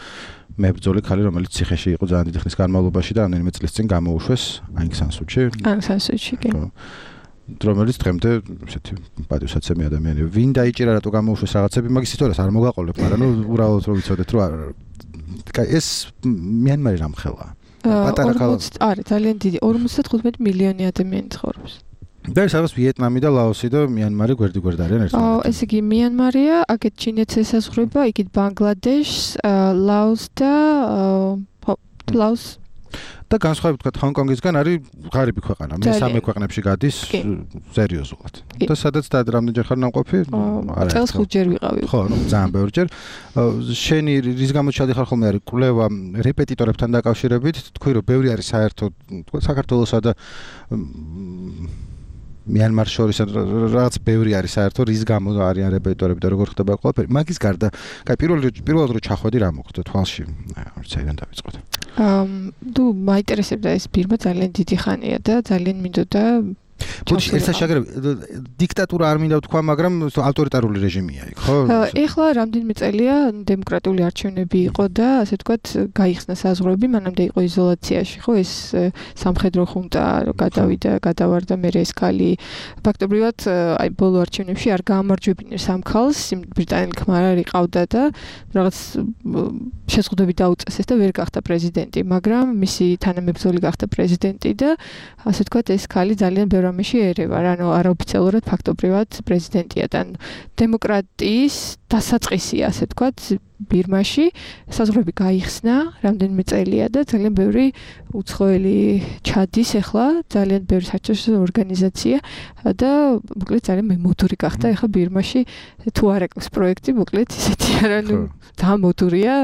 მებრძოლი ქალი რომელიც ციხეში იყო ძალიან დიდი ხნის განმავლობაში და რამდენიმე წლის წინ გამოუშვეს Aung San Suu Kyi
კი
რომელიც დღემდე ესეთი პატივსაცემი ადამიანია ვინ დაიჭირა რატო გამოუშვეს რაღაცები მაგის ისტორიას არ მოგაყოლებ მაგრამ ნუ უბრალოდ რომ ვიცოდეთ რომ ეს მიანმარი რამხელა პატარა ქალაქი
არის ძალიან დიდი 55 მილიონი ადამიანი ცხოვრობს
და ეს არის ვიეტნამი და ლაოსი და მიანმარი გვერდ-გვერდ არიან ერთმანეთთან.
ესე იგი მიანმარია, აქეთ ჩინეთს ესაზღვრება, იქით ბანგლადეშს, ლაოს და ლაოს
და განსხვავებით თქვა ჰონკონგისგან არის ღარიბი ქვეყანა. მესამე ქვეყნებში გადის სერიოზულად. და სადაც და რამდენჯერ ხარ ნამყოფი?
არა. წელს 5 ჯერ ვიყავი.
ხო, ну, ძალიან ბევრჯერ. შენი რის გამო ჩადიხარ ხოლმე არის კვლევა რეპეტიტორებთან დაკავშირებით, თქვი რომ ბევრი არის საერთოდ თქვა საქართველოსა და მიანმარს შორის რაღაც ბევრი არის საერთოდ რის გამო არიან რეპეტიტორები და როგორ ხდება ყველაფერი. მაგის გარდა, კაი პირველად რო ჩახვედი რა მოხდა თვალში? არც აიდან დავიწყოთ.
თუ მაინტერესებდა ეს ბირმა ძალიან დიდი ხანია და ძალიან მინდოდა
ბოდიში ეს შეგრები დიქტატურა არ მინდა ვთქვა, მაგრამ ავტორიტარული რეჟიმია იქ, ხო?
ეხლა რამდენიმე წელია დემოკრატიული არჩევნები იყო და ასე ვთქვათ, გაიხსნა საზღვრები, მანამდე იყო იზოლაციაში, ხო, ეს სამხედრო ხუნტა გადავიდა, გადავარდა მე ეს ქალი. ფაქტობრივად, აი ბოლო არჩევნებში არ გაამარჯვებინეს ამ ქალს, ბრიტანელი ქმარი ყავდა და რაღაც შეზღუდვები დაუწესეს და ვერ გახდა პრეზიდენტი, მაგრამ მისი თანამებრძოლი გახდა პრეზიდენტი და ასე ვთქვათ, ეს ქალი ძალიან ბევრ ამაში ერევა, ანუ არაოფიციალურად ფაქტობრივად პრეზიდენტია და დემოკრატიის დასაწყისია, ასე ვთქვათ, ბირმაში საზღვრები გაიხსნა, რამდენიმე წელია და ძალიან ბევრი უცხოელი ჩადის ახლა, ძალიან ბევრი საერთაშორისო ორგანიზაცია და მოკლედ ძალიან მემოდური გახდა ახლა ბირმაში თუ არ აქვს პროექტი, მოკლედ ისეთი არა, ნუ დამოდურია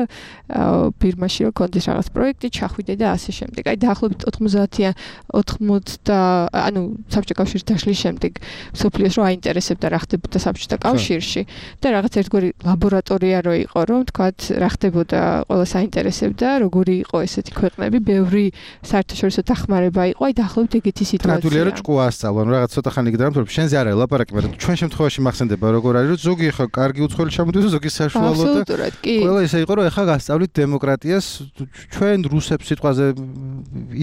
ბირმაში რომ კონდეს რაღაც პროექტი, ჩახვიდე და ასე შემდეგ. აი დაახლოებით 90 ანუ საბჭოთა კავშირის დაშლის შემდეგ სოფლიოს რო აინტერესებდა რა ხდებოდა საბჭოთა კავშირში და რაღაც ერთგვარი ლაბორატორია რო იყო რომ თქვათ რა ხდებოდა ყველას აინტერესებდა როგორი იყო ესეთი ქვეყნები ბევრი საერთაშორისო დახმარება იყო აი დაახლოებით ეგეთი სიტუაცია
ნატურია რომ ჭკუა ასწავლო ანუ რაღაც ცოტა ხანი გიდრამ თორემ შენზე არ არის ლაპარაკი მაგრამ ჩვენ შემთხვევაში მახსენდება როგორ არის რომ ზოგი ხა კარგი უცხოელი ჩამოდიოდა ზოგი საშუალო და ყველა ისე იყო რომ ეხა გასწავლით დემოკრატიას ჩვენ რუსებს სიტყვაზე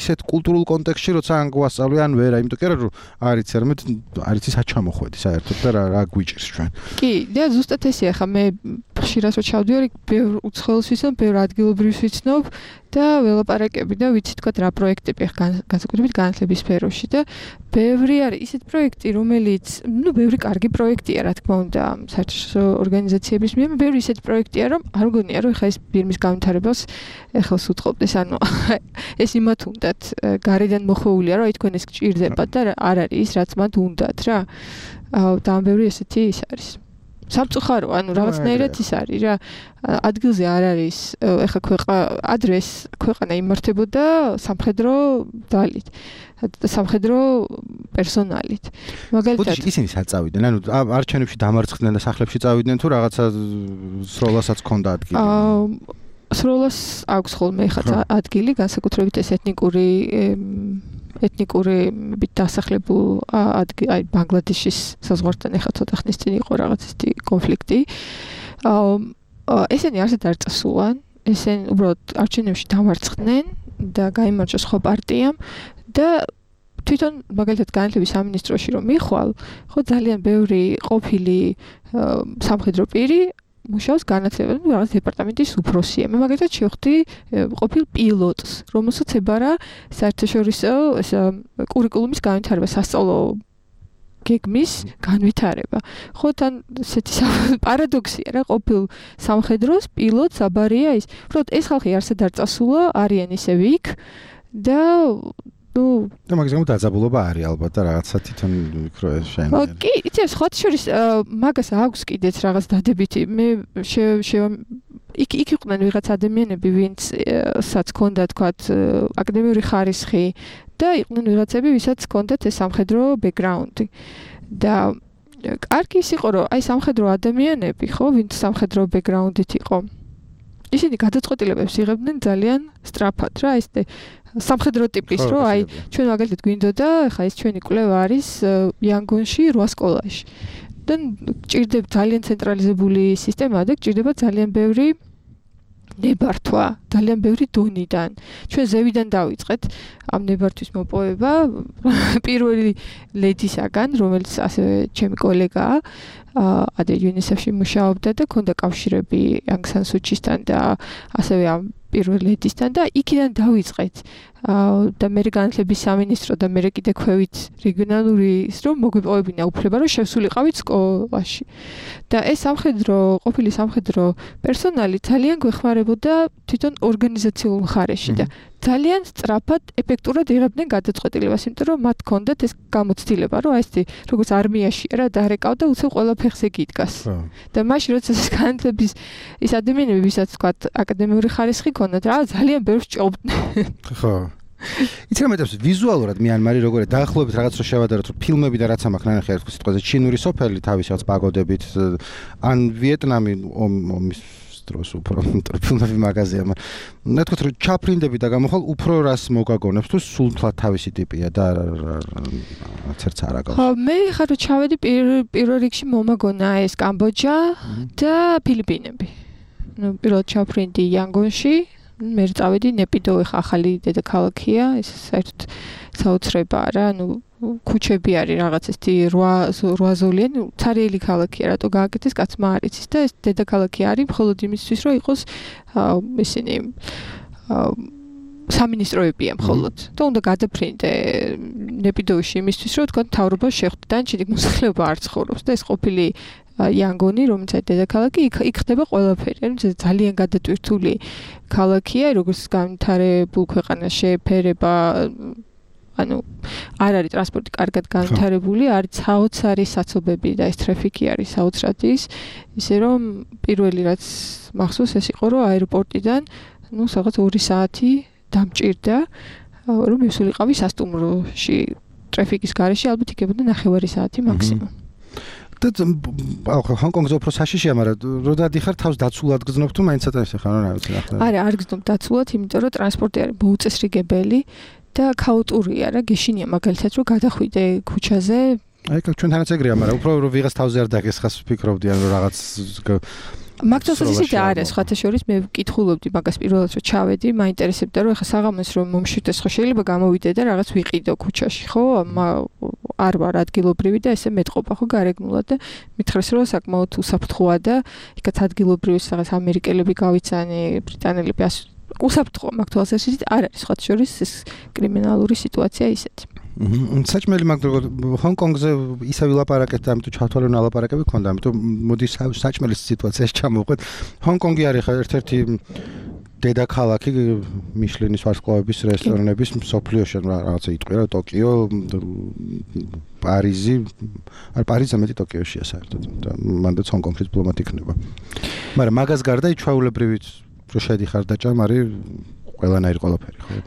ისეთ კულტურულ კონტექსტში როცა ან გვასწავლე ან ვერა იმიტომ კი არა რომ არიც არამედ არიცი საჩამოხვედი საერთოდ და რა გვიჭირს ჩვენ
კი და ზუსტად ესე ხა მე ხშირად რო ჩავდივარ ბევრ უცხოელს ვიცნობ ბევრ ადგილობრივს ვიცნობ და ველაპარაკები და ვიცი თქვა რა პროექტები განსაკუთრებით განათლების სფეროში და ბევრი არის ისეთ პროექტი რომელიც ნუ ბევრი კარგი პროექტია რა თქმა უნდა საერთაშორისო ორგანიზაციების მიერ ბევრი ისეთ პროექტია რომ არ მგონია რომ ხა ეს ბირმის განვითარებას ეხელს უწყობდეს ანუ ეს იმათ უნდათ გარედან მოხვეულია რომ აი თქვენ ეს გჭირდებათ და არ არის ის რაც მათ უნდათ რა და ამ ბევრი ესეთი ის არის სამწუხარო, ანუ რაღაცნაირად ის არის რა. ადგილზე არ არის, ეხა ადრეს ქვეყანა იმართებოდა სამხედრო ძალით, სამხედრო პერსონალით.
მაგალითად, ისინი საწავიდნენ, ანუ არჩევნებში დამარცხდნენ და სახლებში წავიდნენ თუ რაღაცა სროლასაც ჰქონდა ადგილი.
სროლას აქვს ხოლმე ხა ადგილი, განსაკუთრებით ეს ეთნიკური ეთნიკური დასახლებულ აი ბანგლადეშის საზღვართან ეხა ცოტა ხნის წინ იყო რაღაც ისეთი კონფლიქტი. ესენი არსად არ წასულან, ესენი უბრალოდ არჩევნებში დამარცხდნენ და გაიმარჯვა სხვა პარტიამ და თვითონ მაგალითად განათლების სამინისტროში რომ მიხვალ, ხო ძალიან ბევრი ყოფილი სამხედრო პირი მუშაობს განათლების რაღაც დეპარტამენტის უფროსია. მე მაგალითად შევხვდი ყოფილ პილოტს, რომელსაც ებარა საერთაშორისო კურიკულუმის განვითარება, სასწავლო გეგმის განვითარება. ხო თან ესეთი პარადოქსია რა, ყოფილ სამხედროს პილოტს აბარია ის. უბრალოდ ეს ხალხი არსად არ წასულა, არიან ისევ იქ და
და მაგის გამო დაძაბულობა არის ალბათ და რაღაცა თვითონ ვიქრო ეს შეიძლება.
კი, იცი სხვათა შორის მაგას აქვს კიდეც რაღაც დადებითი. მე იქ იყვნენ ვიღაც ადამიანები, ვინცაც ჰქონდა თქვათ აკადემიური ხარისხი და იყვნენ ვიღაცები, ვისაც ჰქონდათ ეს სამხედრო ბექგრაუნდი. და კარგი ის იყო, რომ აი სამხედრო ადამიანები, ხო, ვინც სამხედრო ბექგრაუნდით იყო, ისინი გადაწყვეტილებებს იღებდნენ ძალიან სწრაფად რა, ეს სამხედრო ტიპის, რომ აი ჩვენ მაგალითად გვინდოდა, ხა ეს ჩვენი კვლევა არის იანგონში 8 სკოლაში. და გჭირდება ძალიან ცენტრალიზებული სისტემაა და გჭირდება ძალიან ბევრი ნებართვა, ძალიან ბევრი დონიდან. ჩვენ ზევიდან დავიწყეთ ამ ნებართვის მოპოვება პირველი ლედისაგან, რომელიც ასევე ჩემი კოლეგაა, ადრე UNICEF-ში მუშაობდა და ქონდა კავშირები Aung San Suu Kyi-სთან და ასევე ამ პირველ ლედისთან და იქიდან დავიწყეთ. და მე განათლების სამინისტრო და მე კიდე ქვევით რეგიონალური ის რომ მოგვიპოვებინა უფლება რომ შევსულიყავით სკოლაში. და ეს ყოფილი სამხედრო პერსონალი ძალიან გვეხმარებოდა თვითონ ორგანიზაციულ მხარეში და ძალიან სწრაფად, ეფექტურად იღებდნენ გადაწყვეტილებას, იმიტომ რომ მათ ჰქონდათ ეს გამოცდილება, რომ აი ეს როგორც არმიაშია რა, დარეკავ და უცებ ყველა ფეხზე გიდგას. და მაშინ როცა ეს განათლების ის ადამიანები, ვისაც თქვათ აკადემიური ხარისხი ჰქონდათ, რა ძალიან ბევრს ჭობდნენ.
ხო. იცი რა მეტყვი ვიზუალურად მიანმარი როგორია დაახლოებით რაღაც რო შევადაროთ რომ ფილმები და რაც ამახ ნანახი ერთ სიტყვაზე ჩინური სოფელი თავის რაღაც პაგოდებით ან ვიეტნამი ომის დროს უფრო ფილმები მაღაზია მე თქვით რომ ჩაფრინდები და გამოხვალ უფრო რას მოგაგონებს თუ სულ თლად თავისი ტიპია და ცერც არ აკავს.
ხო მე ხარ რომ ჩავედი პირველ რიგში მომაგონა ეს კამბოჯა და ფილიპინები. ნუ პირველად ჩაფრინდი იანგონში მე წავედი ნეპიდო ხა ახალი დედაქალაქია ეს საერთოდ საოცრებაა რა ნუ ქუჩები არის რაღაც ესეთი 8 ზოლიანი ცარიელი ქალაქია რატო გააკეთეს კაცმა არ იცის და ეს დედაქალაქი არის მხოლოდ იმისთვის რომ იყოს ისინი სამინისტროებია მხოლოდ და უნდა გადაფრინდე ნეპიდოში იმისთვის რომ თქვა მთავრობა შეხვდე და ჩიდი მოსახლეობა არ ცხოვრობს და ეს ყოფილი იანგონი რომელსაც დედაქალაქი იქ ხდება ყველაფერი ანუ ძალიან გადატვირთული ქალაქია როგორც განვითარებულ ქვეყანაში შეფერება ანუ არ არის ტრანსპორტი კარგად განვითარებული არის საოცარი საცობები და ეს ტრაფიკი არის საოცრად ისე რომ პირველი რაც მახსოვს ეს იყო რომ აეროპორტიდან ნუ რაღაც 2 საათი დამჭირდა რომ მივსულიყავი სასტუმროში ტრაფიკის გარეშე ალბათ იქებოდა 9 საათი მაქსიმუმ
და ჰონკონგზე უფრო საშიშია, მაგრამ რო დადიხარ თავს დაცულად გზნობ თუ მაინც ცოტა ისე ხარ რა ვიცი ახლა.
არა, არ გზნობ დაცულად, იმიტომ რომ ტრანსპორტი არის მოუწესრიგებელი და ქაოტურია რა, გეშინია მაგალითად რომ გადახვიდე ქუჩაზე.
აი, ჩვენთანაც ეგრეა, მაგრამ უფრო რომ ვიღაც თავზე არ დაგესხას ვფიქრობდიან რომ რაღაც
მაგალითად ისეთი არის, ხათა შორის მე ვკითხულობდი მაგას პირველად რომ ჩავედი, მაინტერესებდა რომ ეხა საღამოს რომ მომშვიდეს ხო შეიძლება გამოვიდე და რაღაც ვიყიდო ქუჩაში, ხო? არ ვარ ადგილობრივი და ესე მეტყობა ხო გარეგნულად და მითხრეს რომ საკმაოდ უსაფრთხოა და იქაც ადგილობრივის რაღაც ამერიკელები გავიცანი, ბრიტანელები უსაფრთხოა მაგ თვალსაზრისით არ არის ხათა შორის ეს კრიმინალური სიტუაცია ისეთი.
საჭმელი მაგდროგ ჰონკონგზე ისე ვილაპარაკეთ, ამიტომ ჩავთვალე რომ ალაპარაკები ქონდა, ამიტომ მოდი საჭმელის სიტუაციაში ჩამოვყვეთ. ჰონკონგი არის ხა ერთ-ერთი დედაქალაქი მიშლინის ვარსკვლავების რესტორნების მსოფლიოში, რაღაცა იტყვია ტოკიო, პარიზი, არ პარიზი მეტი ტოკიოშია საერთოდ და მანდაც ჰონკონგში დიპლომატი იქნება. მაგრამ მაგას გარდა ჩვეულებრივით რო შედიხარ და ჭამ არის ყველანაირი ყველაფერი ხო?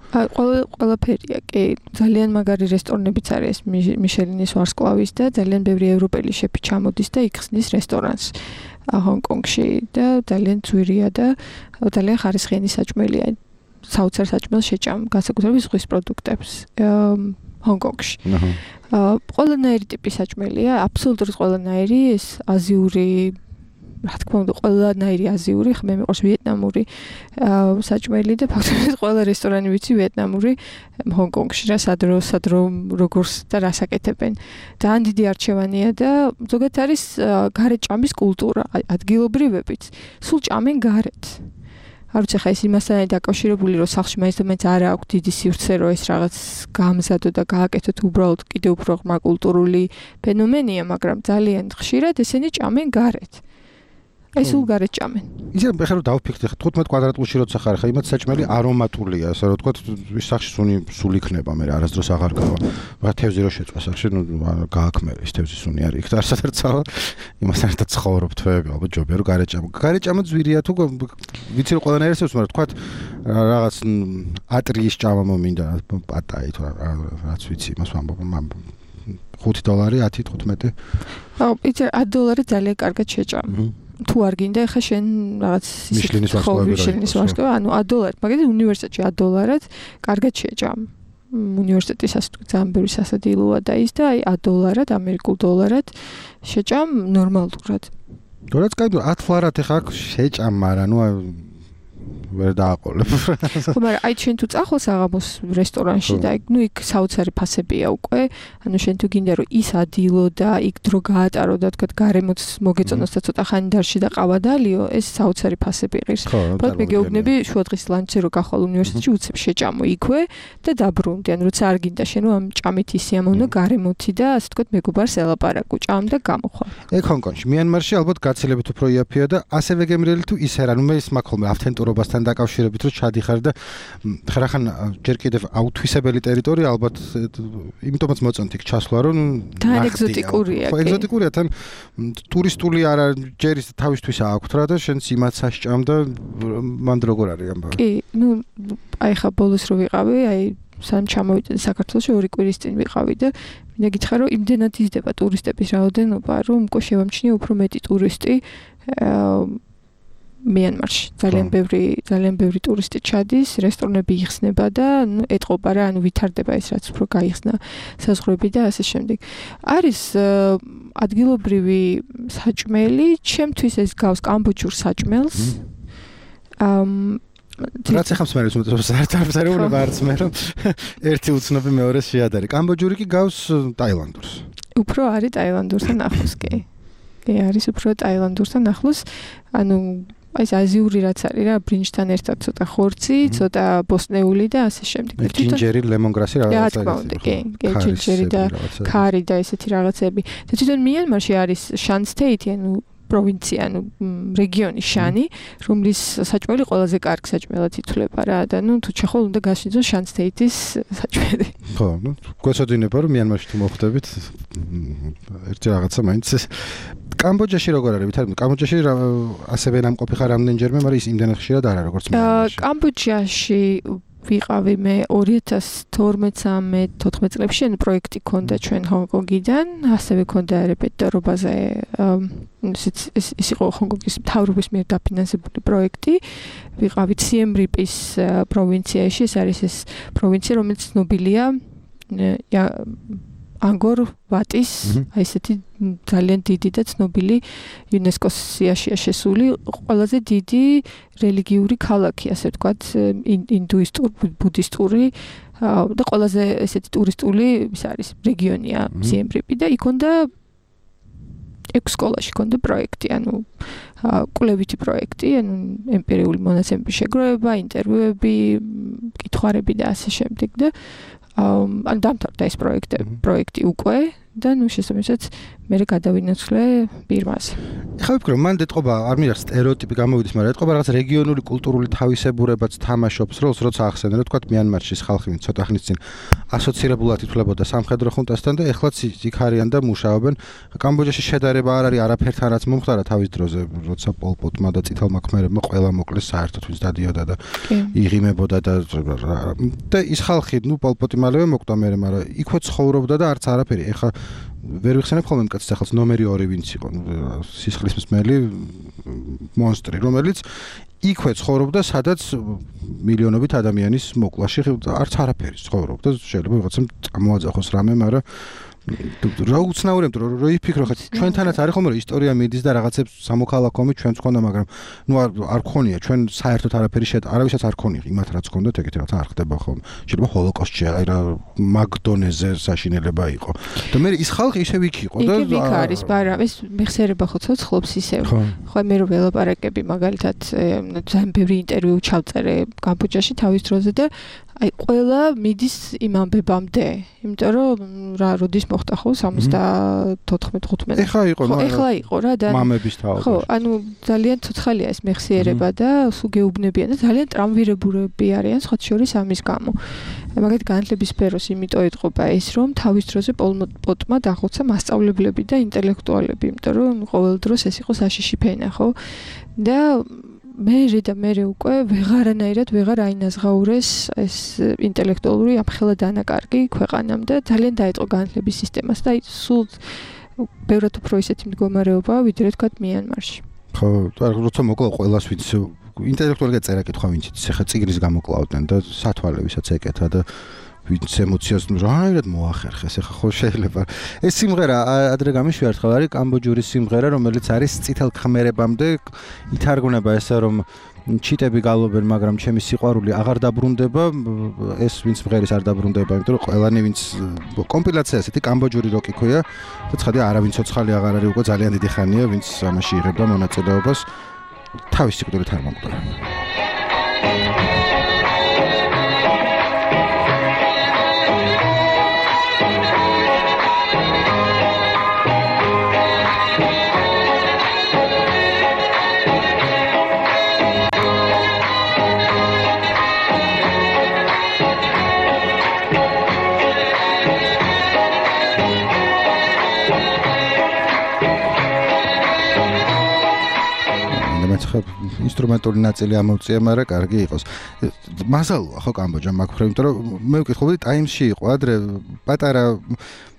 ყველაფერია, კი. ძალიან მაგარი რესტორნებიც არის მიშელინის ვარსკვლავის და ძალიან ბევრი ევროპელი შეფი ჩამოდის და იქხსნის რესტორანს ჰონკონგში და ძალიან ძვირია და ძალიან ხარისხიანი საჭმელია. საოცარ საჭმელს შეჭამ, განსაკუთრებით ზღვის პროდუქტებს. ჰონკონგში. ყველანაირი ტიპის საჭმელია, აბსოლუტურად ყველანაირი, ეს აზიური, რა თქმა უნდა, ყველანაირი აზიური, ხმე მიყვარს ვიეტნამური საჭმელი და ფაქტობრივად ყველა რესტორანი ვიცი ვიეტნამური ჰონკონგში რა სადრო როგორც და რას აკეთებენ. ძალიან დიდი არჩევანია და ზოგადად არის გარეთ ჭამის კულტურა, ადგილობრივებიც. სულ ჭამენ გარეთ. არ ვიცი ხა ეს იმასთან დაკავშირებული რომ სახლში მაინც არ აქვს დიდი სივრცე რომ ეს რაღაც გამზადო და გააკეთოთ უბრალოდ კიდევ უფრო ღრმა კულტურული ფენომენია, მაგრამ ძალიან ხშირად ესენი ჭამენ გარეთ. ეს სულ გარეთ ჭამენ.
ისე ხა რომ დავფიქრდი 15 კვადრატულში როცა ხარ ხა იმათ საჭმელი არომატულია, ასე რომ თქვა ის სახში სულ იქნება, მე არასდროს აღარ გავა. რა თევზი რო შეწვა სახში, ნუ გააქმერე ის თევზის სუნი არის. იქ და არც არ წავა. იმასთან ერთად ცხოვრობ თვეები, ალბათ ჯობია რომ გარეთ ჭამო. გარეთ ჭამა ძვირია თუ ვიცი რომ ყველანაირ ესეც, მაგრამ თქვა რაღაც ატრიის ჭამა მომინდა, პატაი თუ რაც ვიცი, იმას ვამბობ, $5, 10, 15.
აუ, იცი $10 ძალიან კარგად შეჭამ. თუ არ გინდა ხა შენ რაღაც
მიშლინის ვარსკვლავი,
ანუ $10, მაგალითად უნივერსიტეტში $10-ად კარგად შეჭამ. უნივერსიტეტის ასე ძალიან ბევრი სასადილოა და ის და აი $10-ად, ამერიკულ დოლარად შეჭამ ნორმალურად.
თორეც კაი, $10 ხა შეჭამ, მაგრამ ნუ ვერ დააყოლებ.
ხო, მაგრამ აი შენ თუ წახვალ საღამოს რესტორანში და ნუ იქ საოცარი ფასებია უკვე, ანუ შენ თუ გინდა რომ ის ადილო და იქ დრო გაატარო და თქვა გარემოც მოგეწონოს და ცოტა ხანი დარში და ყავა დალიო, ეს საოცარი ფასები ღირს. თქო, მე გეუბნები შუადღის ლანჩზე რო გახვალ უნივერსიტეტში უცებ შეჭამო იქვე და დაბრუნდი, ანუ როცა არ გინდა შენ ამ ჭამით ისიამოვნო გარემოთი და ასე თქვა მეგობარს ელაპარაკო, ჭამ და გამოხვალ.
ეგ ჰონკონგში, მიანმარში ალბათ გაცილებით უფრო იაფია და ასევე გემრიელი თუ ის არა, ნუ მე ის მაქვს ხოლმე ავთენტურობასთან დაკავშირებით რომ ჩადიხარ და ხერახან ჯერ კიდევ აუთვისებელი ტერიტორია ალბათ იმიტომაც მოწონთ იქ ჩასვლა რომ
თან ეგზოტიკურია.
ხო, ეგზოტიკურია, თან ტურისტული არა ჯერის თავისთვის აქვთ რა და შენც იმაც საშჭამ და მანდ როგორ არის ამბავი.
კი, ნუ აი ხა ბოლოს რო ვიყავი, აი სამ ჩამოვიდნენ საქართველოში 2 კვირის წინ ვიყავი და მინდა გითხრა რომ იმდენად იზრდება ტურისტების რაოდენობა რომ უკვე შევამჩნიე უფრო მეტი ტურისტი მიანმარში ძალიან ბევრი ტურისტი ჩადის, რესტორნები იხსნება და ეტყობა რა, ანუ ვითარდება ის რაც უფრო გაიხსნა საზღვრები და ასე შემდეგ. არის ადგილობრივი საჭმელი, ჩემთვის ეს გავს კამბოჯურ საჭმელს.
რაც ახავს მე საერთოდ არც მე რომ ერთი უცნობი მეორეს შეადარი. კამბოჯური კი გავს ტაილანდურს.
უფრო არის ტაილანდურთან ახლოს კი. კი, არის უფრო ტაილანდურთან ახლოს, ანუ აი ეს აზიური რაც არის რა, ბრინჯთან ერთად ცოტა ხორცი, ცოტა ბოსნეული და ასე შემდეგ.
ჯინჯერი, ლემონგრასი რაღაცა.
რა თქმა უნდა, კი, ჯინჯერი და ქარი და ესეთი რაღაცები. და თვითონ მიანმარში არის შანსთეითი, ანუ პროვინცია, ანუ რეგიონი შანი, რომლის საჭმელი ყველაზე კარგ საჭმელად ითვლება რა და ნუ თუ ჩახვალ უნდა გაშინძო შანსთეითის საჭმელი.
ხო, ნუ გვეცოდინება რომ მიანმარში თუ მოხვდებით ერთი რაღაცა მაინც კამბოჯაში როგორ არის? ვითარდება კამბოჯაში ასევე ნამყოფი ხარ რამდენჯერმე, მაგრამ ის იმდენად ხშირად არა როგორც მიანმარში. კამბოჯაში
ვიყავი მე 2012-14 წლებში, ანუ პროექტი ქონდა ჩვენ ჰონკონგიდან, ასევე ქონდა რეპეტირობაზე ის იყო ჰონკონგის მთავრობის მიერ დაფინანსებული პროექტი. ვიყავით სიემ რიპის პროვინციაში, ეს არის ეს პროვინცია, რომელიც ცნობილია ანგორ ვატის, აი ესეთი ძალიან დიდი და ცნობილი იუნესკოს სიაშია შესული ყველაზე დიდი რელიგიური ქალაქი, ასე ვთქვათ, ინდუისტური, ბუდისტური და ყველაზე ესეთი ტურისტული ის არის რეგიონია სიემ რიპი და იქ უნდა 6 სკოლაში ქონდა პროექტი, ანუ კვლევითი პროექტი, ანუ ემპირიული მონაცემების შეგროვება, ინტერვიუები, კითხვარები და ასე შემდეგ და ან დამთავრდა ეს პროექტი უკვე და ნუ შესაბამისად მე გადავინაცვლე ბირმაზე.
ხა ვიფიქრე, მან ეთყობა არ მინდა სტერეოტიპი გამოვიდეს, მაგრამ ეთყობა რაღაც რეგიონული კულტურული თავისებურებაც თამაშობს როლს, როცა ახსენე, რომ თქვა მიანმარშის ხალხი ცოტა ხნის წინ ასოცირებულად ითვლებოდა სამხედრო ხუნტასთან და ეხლაც იქ არიან და მუშაობენ. კამბოჯაში შედარება არ არის არაფერთან, რაც მომხდარა თავის დროზე, როცა პოლპოტმა და წითელმა ქმერებმა ყველა მოკლეს საერთოდ ვინც დადიოდა და იღიმებოდა და ის ხალხი, ნუ პოლპოტი მალევე მოკვდა მე, მაგრამ იქვე ცხოვრობდა და არც არაფერი. ეხლა ვერ ვიხსენებ ხოლმე მკაცს ახალს ნომერი 2 ვინც იყო სისხლის მსმელი მონსტრი რომელიც იქვე ცხოვრობდა სადაც მილიონობით ადამიანის მოკლაში არც არაფერი ცხოვრობდა შეიძლება ვიღაცამ წამოაძახოს რამე მაგრამ რა უცნაური რომ იფიქრო ხა ჩვენთანაც არის ხომ რომ ისტორია მიდის და რაღაცებს სამოქალაქო ომი ჩვენც ხონდა მაგრამ ნუ არ გქონია ჩვენ საერთოდ არაფერი არავისაც არ ქონია იმათ რაც გქონდათ ეგეთი რაღაც არ ხდება ხომ შეიძლება ჰოლოკოსტში აი რა მაგდონეზე საშინელება იყო და მე ის ხალხი ისევ იქ იყო და
იქ არის მაგრამ ეს მეხსიერება ხო ცოცხლობს ისევ ხო მე რომ ველაპარაკები მაგალითად ძალიან ბევრი ინტერვიუ ჩავწერე კამბოჯაში თავის დროზე და აი ყველა მიდის იმ ამბებამდე იმიტომ რომ რა როდის მოხდა ხო 74-15 ეხლა იყო რა და
მამების თაობა
ხო ანუ ძალიან ცოცხალია ეს მეხსიერება და სულ გეუბნებიან და ძალიან ტრამვირებურები არიან სხვა შორის ამის გამო მაგათ განათლების სფეროს იმიტომ ეთყობა ეს რომ თავის დროზე პოლ პოტმა დახოცა მასწავლებლები და ინტელექტუალები იმიტომ რომ ყოველ დროს ეს იყო საშიში ფენა ხო და მე უკვე ვეღარანაირად ვეღარ აინაზღაურეს ეს ინტელექტუალური ამხელა დანაკარგი ქვეყანამ და ძალიან დაეწყო განათლების სისტემას და სულ ბევრად უფრო ისეთი მდგომარეობაა ვიდრე თქვა მიანმარში.
ხო, როცა მოკლა ყველას ვინც ინტელექტუალურად წერა კითხვა ვინც ეხა წიგნის გამოკლავდნენ და სათვალე ვისაც ეკეთა და ვინც ემოციას რაირად მოახერხეს ეხა ხო შეიძლება ეს სიმღერა ადრე გამიშვია ერთხელ არის კამბოჯური სიმღერა რომელიც არის წითელ ქმერებამდე ითარგმნება ესე რომ ჩიტები გალობენ მაგრამ ჩემი სიყვარული აღარ დაბრუნდება ეს ვინც მღერის არ დაბრუნდება იმიტომ რომ ყველანი ვინც კომპილაცია ესეთი კამბოჯური როკი ქვია და ცხადია არავინ ცოცხალი აღარ არის უკვე ძალიან დიდი ხანია ვინც ამაში იღებდა მონაწილეობას თავის სიკვდილით არ მომკვდარა ინსტრუმენტული ნაწილი ამოვწია, მაგრამ კარგი იყოს. მასალოა ხო კამბოჯა მაგ-ფრე, იმიტომ რომ მე ვკითხულობდი ტაიმსში იყო ადრე პატარა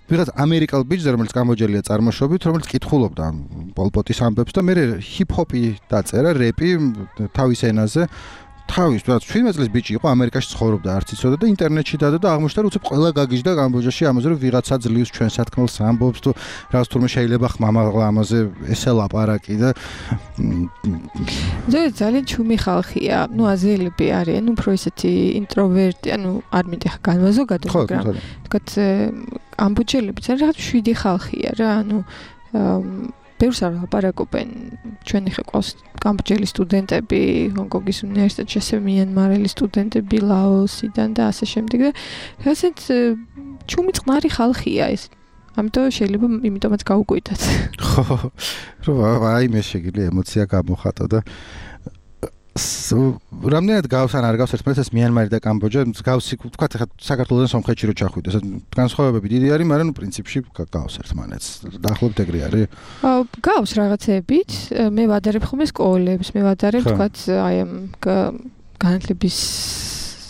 ვიღაც ამერიკელ ბიჭზე, რომელიც კამბოჯელია წარმოშობით, რომელიც კითხულობდა პოლ პოტის ამბებს და მე ჰიპ-ჰოპი დაწერა, რეპი თავის ენაზე. თავის 17 წლის ბიჭი იყო ამერიკაში ცხოვრობდა არც იცოდა და ინტერნეტში დადა და აღმოჩნდა რომ უცებ ყველა გაგიჟდა კამბოჯაში ამაზე რომ ვიღაცა ძლივს ჩვენ სათქმელს ამბობს თუ რაღაც თურმე შეიძლება ხმამაღლა ამაზე ესე ლაპარაკი და
ძალიან ჩუმი ხალხია ნუ აზიელები არიან უფრო ისეთი ინტროვერტი ანუ არ მინდა ხა განვაზოგადო მაგრამ თქვათ კამბოჯელები ძალიან რაღაც შვიდი ხალხია რა ანუ ბევრს არ ლაპარაკობენ ჩვენი ხე ყავს კამბოჯელი სტუდენტები ჰონკონგის უნივერსიტეტში ასევე მიანმარელი სტუდენტები ლაოსიდან და ასე შემდეგ და ასეთ ჩუმი წყნარი ხალხია ეს ამიტომ შეიძლება იმიტომაც გაუკვირდათ
ხო რა აი მე შეგიძლია ემოცია გამოხატო და რამდენად გავს ან არ გავს ერთმანეთს მიანმარი და კამბოჯა გავსი თქვა ხა საქართველოსთან სომხეთში რო ჩახვიდეს განსხვავებები დიდი არის მაგრამ პრინციპში გავს ერთმანეთს დაახლოებით ეგრე არის
გავს რაღაცებით მე ვადარებ ხოლმე სკოლებს მე ვადარებ თქვა აი ამ განათლების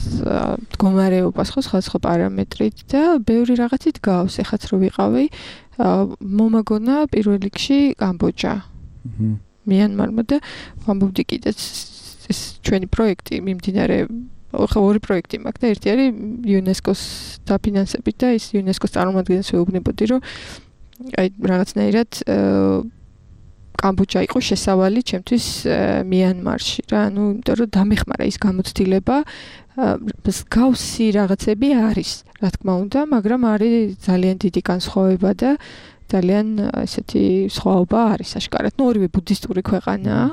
მდგომარეობას ხო სხვა პარამეტრით და ბევრი რაღაცით გავს ეხაც რო ვიყავი მომაგონა პირველ რიგში კამბოჯა მიანმარმა და ვამბობდი კიდეც ეს ჩვენი პროექტი მიმდინარე ხო ორი პროექტი მაქვს და ერთი არის იუნესკოს დაფინანსებით და ის იუნესკოს წარმომადგენელს ვეუბნებოდი რომ აი რაღაცნაირად კამბოჯა იყო შესავალი ჩემთვის მიანმარში რა ანუ იმიტომ რომ დამეხმარა ის გამოცდილება გავსი რაღაცები არის რა თქმა უნდა მაგრამ არის ძალიან დიდი განსხვავება და ძალიან ესეთი სხვაობა არის აშკარად ნუ ორივე ბუდისტური ქვეყანაა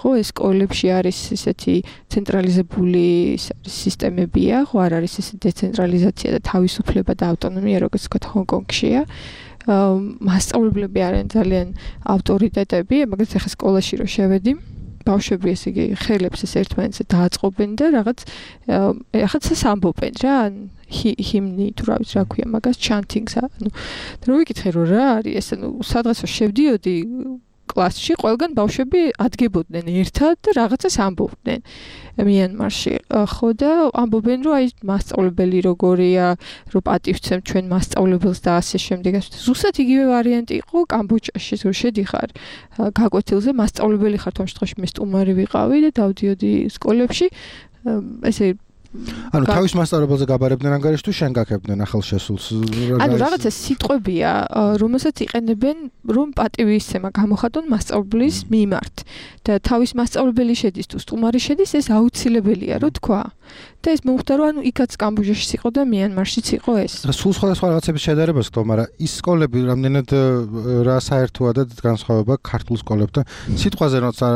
ხო ეს სკოლებში არის ესეთი ცენტრალიზებული სისტემებია ხო არ არის ესეთი დეცენტრალიზაცია და თავისუფლება და ავტონომია როგორც თქვა ჰონკონგშია მასწავლებლები არიან ძალიან ავტორიტეტები მაგალითად ახლა სკოლაში რო შევედი ბავშვები ესე იგი ხელებს ეს ერთმანეთზე დააწყობენ და რაღაც ახაც ამბობენ რა ჰიმნი თუ რა ვიცი რა ქვია მაგას ჩანტინგს ანუ რო ვიკითხე რომ რა არის ეს ანუ სადღაცო შევდიოდი კლასში ყველგან ბავშვები ადგებოდნენ ერთად და რაღაცას ამბობდნენ მიანმარში. ხო და ამბობენ რომ აი მასწავლებელი როგორია, რომ პატივცემ ჩვენ მასწავლებელს და ასე შემდეგ. ზუსტად იგივე ვარიანტი იყო კამბოჯაში, რომ შედიხარ გაკვეთილზე, მასწავლებელი ხარ თუმცა შემთხვევაში მე სტუმარი ვიყავი და დავდიოდი სკოლებში. ესე
ანუ თავის მასწავლებელზე გაბარებდნენ ანგარიშს თუ შენ გაკეთებდნენ ახალ შესულს?
ანუ რაღაცა სიტყვებია, რომელსაც იყენებენ, რომ პატივისცემა გამოხატონ მასწავლებლის მიმართ. და თავის მასწავლებელი შედის თუ სტუმარი შედის, ეს აუცილებელია, რო თქვა. და ეს მომხდა, რომ ანუ იქაც კამბოჯაში იყო და მიანმარშიც იყო ეს.
სულ სხვადასხვა რაღაცების შედარებას გქონდა, მაგრამ ის სკოლები რამდენად რა საერთოა და განსხვავება ქართულ სკოლებთან. სიტყვაზე როცა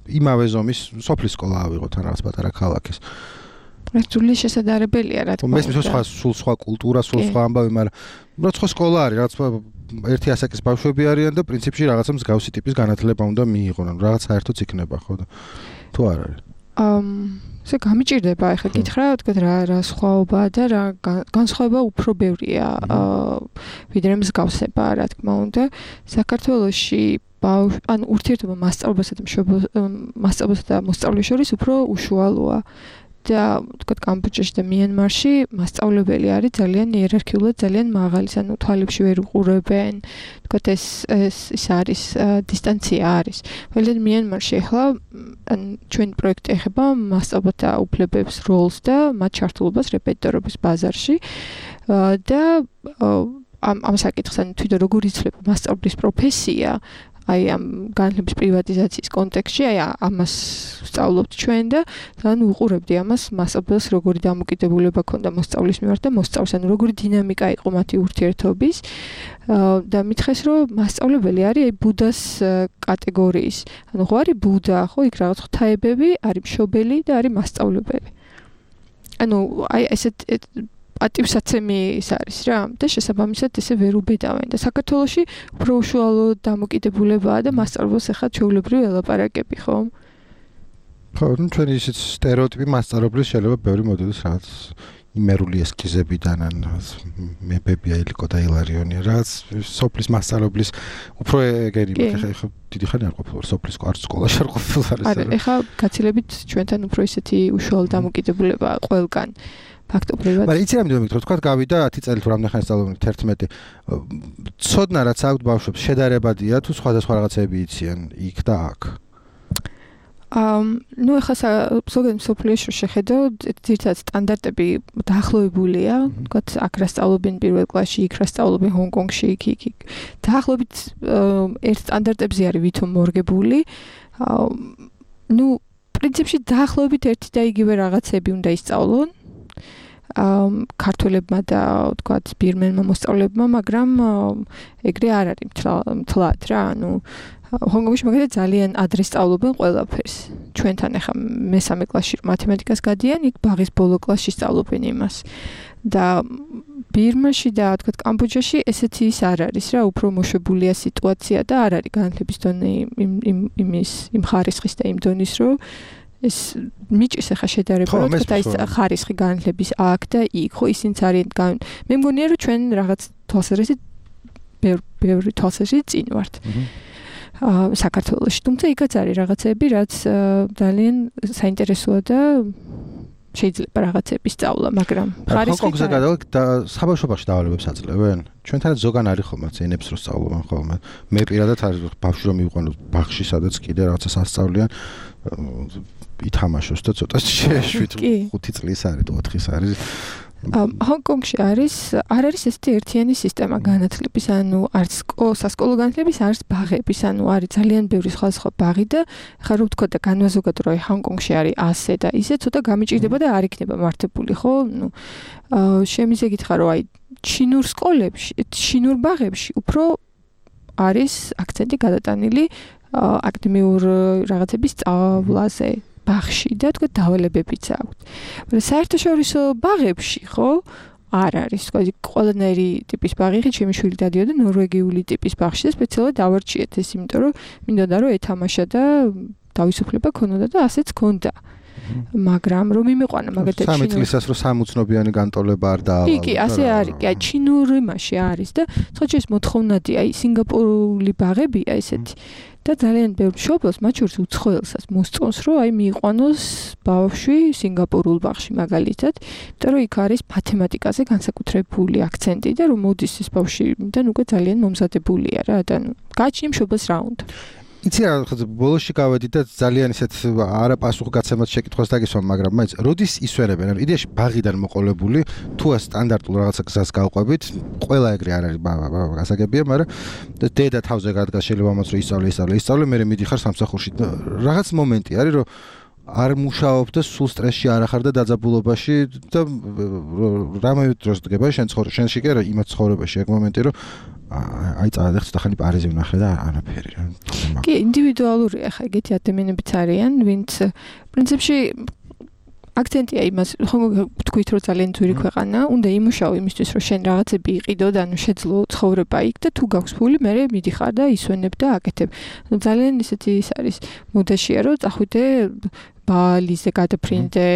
იმავე ზომის სოფლის სკოლა ავიღოთ ან რაღაც პატარა ქალაქის.
რთული შესაძლებელია რა თქმა უნდა.
მესმის სულ სხვა კულტურა, სულ სხვა ამბავი, მაგრამ როცა სკოლა არის, რაც ერთი ასაკის ბავშვები არიან და პრინციპში რაღაცა მსგავსი ტიპის განათლება უნდა მიიღონ, ანუ რაღაც საერთოც იქნება, ხო და თუ არ არის.
ესე გამიჭირდება ახლა გითხრა, თქვა რა სხვაობაა და რა განსხვავება უფრო ბევრია, ვიდრე მსგავსება, რა თქმა უნდა. საქართველოში ანუ ურთიერთობა მასწავლებელსა და მოსწავლეს შორის უფრო უშუალოა. და თქვა კამბოჯაში და მიანმარში მასწავლებელი არის ძალიან იერარქიულად ძალიან მაღალი, ანუ თვალებში ვერ უყურებენ. თქვა ეს არის დისტანცია არის. მაგრამ მიანმარში ახლა ჩვენი პროექტი ეხება მასწავლებელთა უფლებებს, როლს და მათ ჩართულობას რეპეტიტორობის ბაზარში. და ამ საკითხს ანუ თვითონ როგორ იცვლება მასწავლებლის პროფესია აი ამ განათლების პრივატიზაციის კონტექსტში, აი ამას ვსწავლობთ ჩვენ და თან უყურებდი ამას მასწავლებელს როგორი დამოკიდებულება ქონდა მოსწავლის მიმართ და მოსწავლის, ანუ როგორი დინამიკა იყო მათი ურთიერთობის და მითხეს რომ მასწავლებელი არის აი ბუდას კატეგორიის. ანუ ხო არის ბუდა, ხო იქ რაღაც ღვთაებები, არის მშობელი და არის მასწავლებელი. ანუ აი ესეთ პატივსაცემი ის არის რა და შესაბამისად ესე ვერ უბედავენ და საქართველოში უფრო უშუალო დამოკიდებულებაა და მასწავლებელს ახლა ჩვეულებრივ ელაპარაკები ხო?
ხო, ну ჩვენი ისეთ სტერეოტიპი მასწავლებლის შეიძლება ბევრი მოდელს რაღაც იმერული ესკიზებიდან ან მეფებია ილიკო და ილარიონია რაც სოფლის მასწავლებლის უფრო ეგერი ხო დიდი ხანი არ ყოფილა სოფლის სკოლაში არ ყოფილა
არა ეხლა გაცილებით ჩვენთან უფრო ისეთი უშუალო დამოკიდებულება ყველგან ფაქტობრივად.
მაგრამ იცი რამდენი მეკითხო, თქვა გავიდა 10 წელი თუ რამდენი ხანი სწავლობენ 11. ცოდნა რაც აქვთ ბავშვებს შედარებადია თუ სხვადასხვა რაღაცები იციან იქ და აქ.
ну ეხლა ზოგადად სოფლიოში შეხედავ ძირითადად სტანდარტები დაახლოებულია, თქვათ აქ რა სწავლობენ პირველ კლასში, იქ რა სწავლობენ ჰონკონგში, იქ. დაახლოებით ერთ სტანდარტებზე არის ვითომ მორგებული. ну პრინციპში დაახლოებით ერთი და იგივე რაღაცები უნდა ისწავლონ. ქართველებმა და თქვათ ბირმენმა მოსწავლეებმა, მაგრამ ეგრე არ არის მთლად რა, ანუ ჰონკონგში მაგალითად ძალიან ადრე სწავლობენ ყველაფერს. ჩვენთან ახლა მესამე კლასში მათემატიკას გადიან, იქ ბაღის ბოლო კლასში სწავლობენ იმას. და ბირმაში და თქვათ კამბოჯაში ესეთი ის არ არის რა, უფრო მოშვებულია სიტუაცია და არ არის განათლების დონე იმ ხარისხის და იმ დონის რომ ეს მიჭის ახლა შედარება რომ თქვა ის ხარისხი განათლების აქ და იქ ხო ისინიც არიან მე მგონია რომ ჩვენ რაღაც თვალსაზრისით ბევრი თვალსაზრისით წინ ვართ საქართველოში თუმცა იქაც არის რაღაცები რაც ძალიან საინტერესოა და შეიძლება რაღაცები სწავლა მაგრამ
ხარისხი ჰონკონგზე და საბავშვობაში დავალებებს აძლევენ ჩვენთანაც ზოგან არის ხოლმე ენებს რო სწავლობენ ხოლმე მე პირადად არის ბავშვი რომ მივიყვანო ბაღში სადაც კიდე რაღაცას ასწავლიან ითამაშოს და ცოტა შეშვით 5 წლის არის თუ 4-ის არის
ჰონკონგში არ არის ესეთი ერთიანი სისტემა განათლების, ანუ არც სასკოლო განათლების, არც ბაღების, ანუ არის ძალიან ბევრი სხვადასხვა ბაღი და ხა რო ვთქვა და განვაზოგადო რომ ჰონკონგში არის ასე და ისე ცოტა გამიჭირდება და არ იქნება მართებული, ხო? ნუ შემიძლია გითხრა რომ აი ჩინურ სკოლებში, ჩინურ ბაღებში უფრო არის აქცენტი გადატანილი აკადემიურ რაღაცების სწავლაზე. ბაღში და თქვა დავალებებიც აქვს. მაგრამ საერთაშორისო ბაღებში ხო არ არის, თქვა ყველანაირი ტიპის ბაღი, ხე ჩემი შვილი დადიოდა ნორვეგიული ტიპის ბაღში და სპეციალურად დავარჩიეთ ეს, იმიტომ რომ მინდოდა რომ ეთამაშა და თავისუფლება ქონოდა და ასეც ქონდა. მაგრამ რომ იმიყვანა მაგათაც
3 წლისას რომ სამუცნობიანი განტოლება არ დაავალა.
კი, ასე არის. კი, ჩინური მასში არის და ცოტა ეს მოთხოვნადი, სინგაპურული ბაღებია ესეთი. და ძალიან ბევრ მშობელს, მათ შორის უცხოელსაც მოსწონს, რომ მიიყვანოს ბავშვი სინგაპურულ ბაღში მაგალითად, იმიტომ რომ იქ არის მათემატიკაზე განსაკუთრებული აქცენტი და რომ მოდის ეს ბავშვიდან უკვე ძალიან მომზადებულია რა და გააჩნია მშობელს რა უნდა.
იცი რა, ბოლოში გავედი და ძალიან ისეთ არაპასუხგაცემად შეკითხვას დაგისვამ, მაგრამ მაინც როდის ისვენებენ? ანუ იდეაში ბაღიდან მოყოლებული, თუ სტანდარტულ რაღაცა გზას გავყვებით, ყველა ეგრე არ არის გასაგებია, მაგრამ დედა თავზე გადგას შეიძლება ამაც რომ ისწავლე, მე მიდიხარ სამსახურში. რაღაც მომენტი არის, რომ არ მუშაობ და სულ სტრესში არ ახარ და დაძაბულობაში და რამე დროს დგება შენში კი არა იმათ ცხოვრებაში ეგ მომენტი რომ აი წადახს და ხანი პარიზი ვნახე და არაფერი რა.
კი, ინდივიდუალურია ხა ეგეთი ადამიანებიც არიან, ვინც პრინციპში აქცენტია იმას, თქვით რომ ძალიან ძვირი ქვეყანა, უნდა იმუშაო იმისთვის რომ შენ რაღაცები იყიდო და ანუ შეძლო ცხოვრება იქ და თუ გაქვს ფული, მე მიდიხარ და ისვენებ და აკეთებ. ძალიან ისეთი ის არის მოდაშია რომ წახვიდე ბალიზე გადაფრინდე,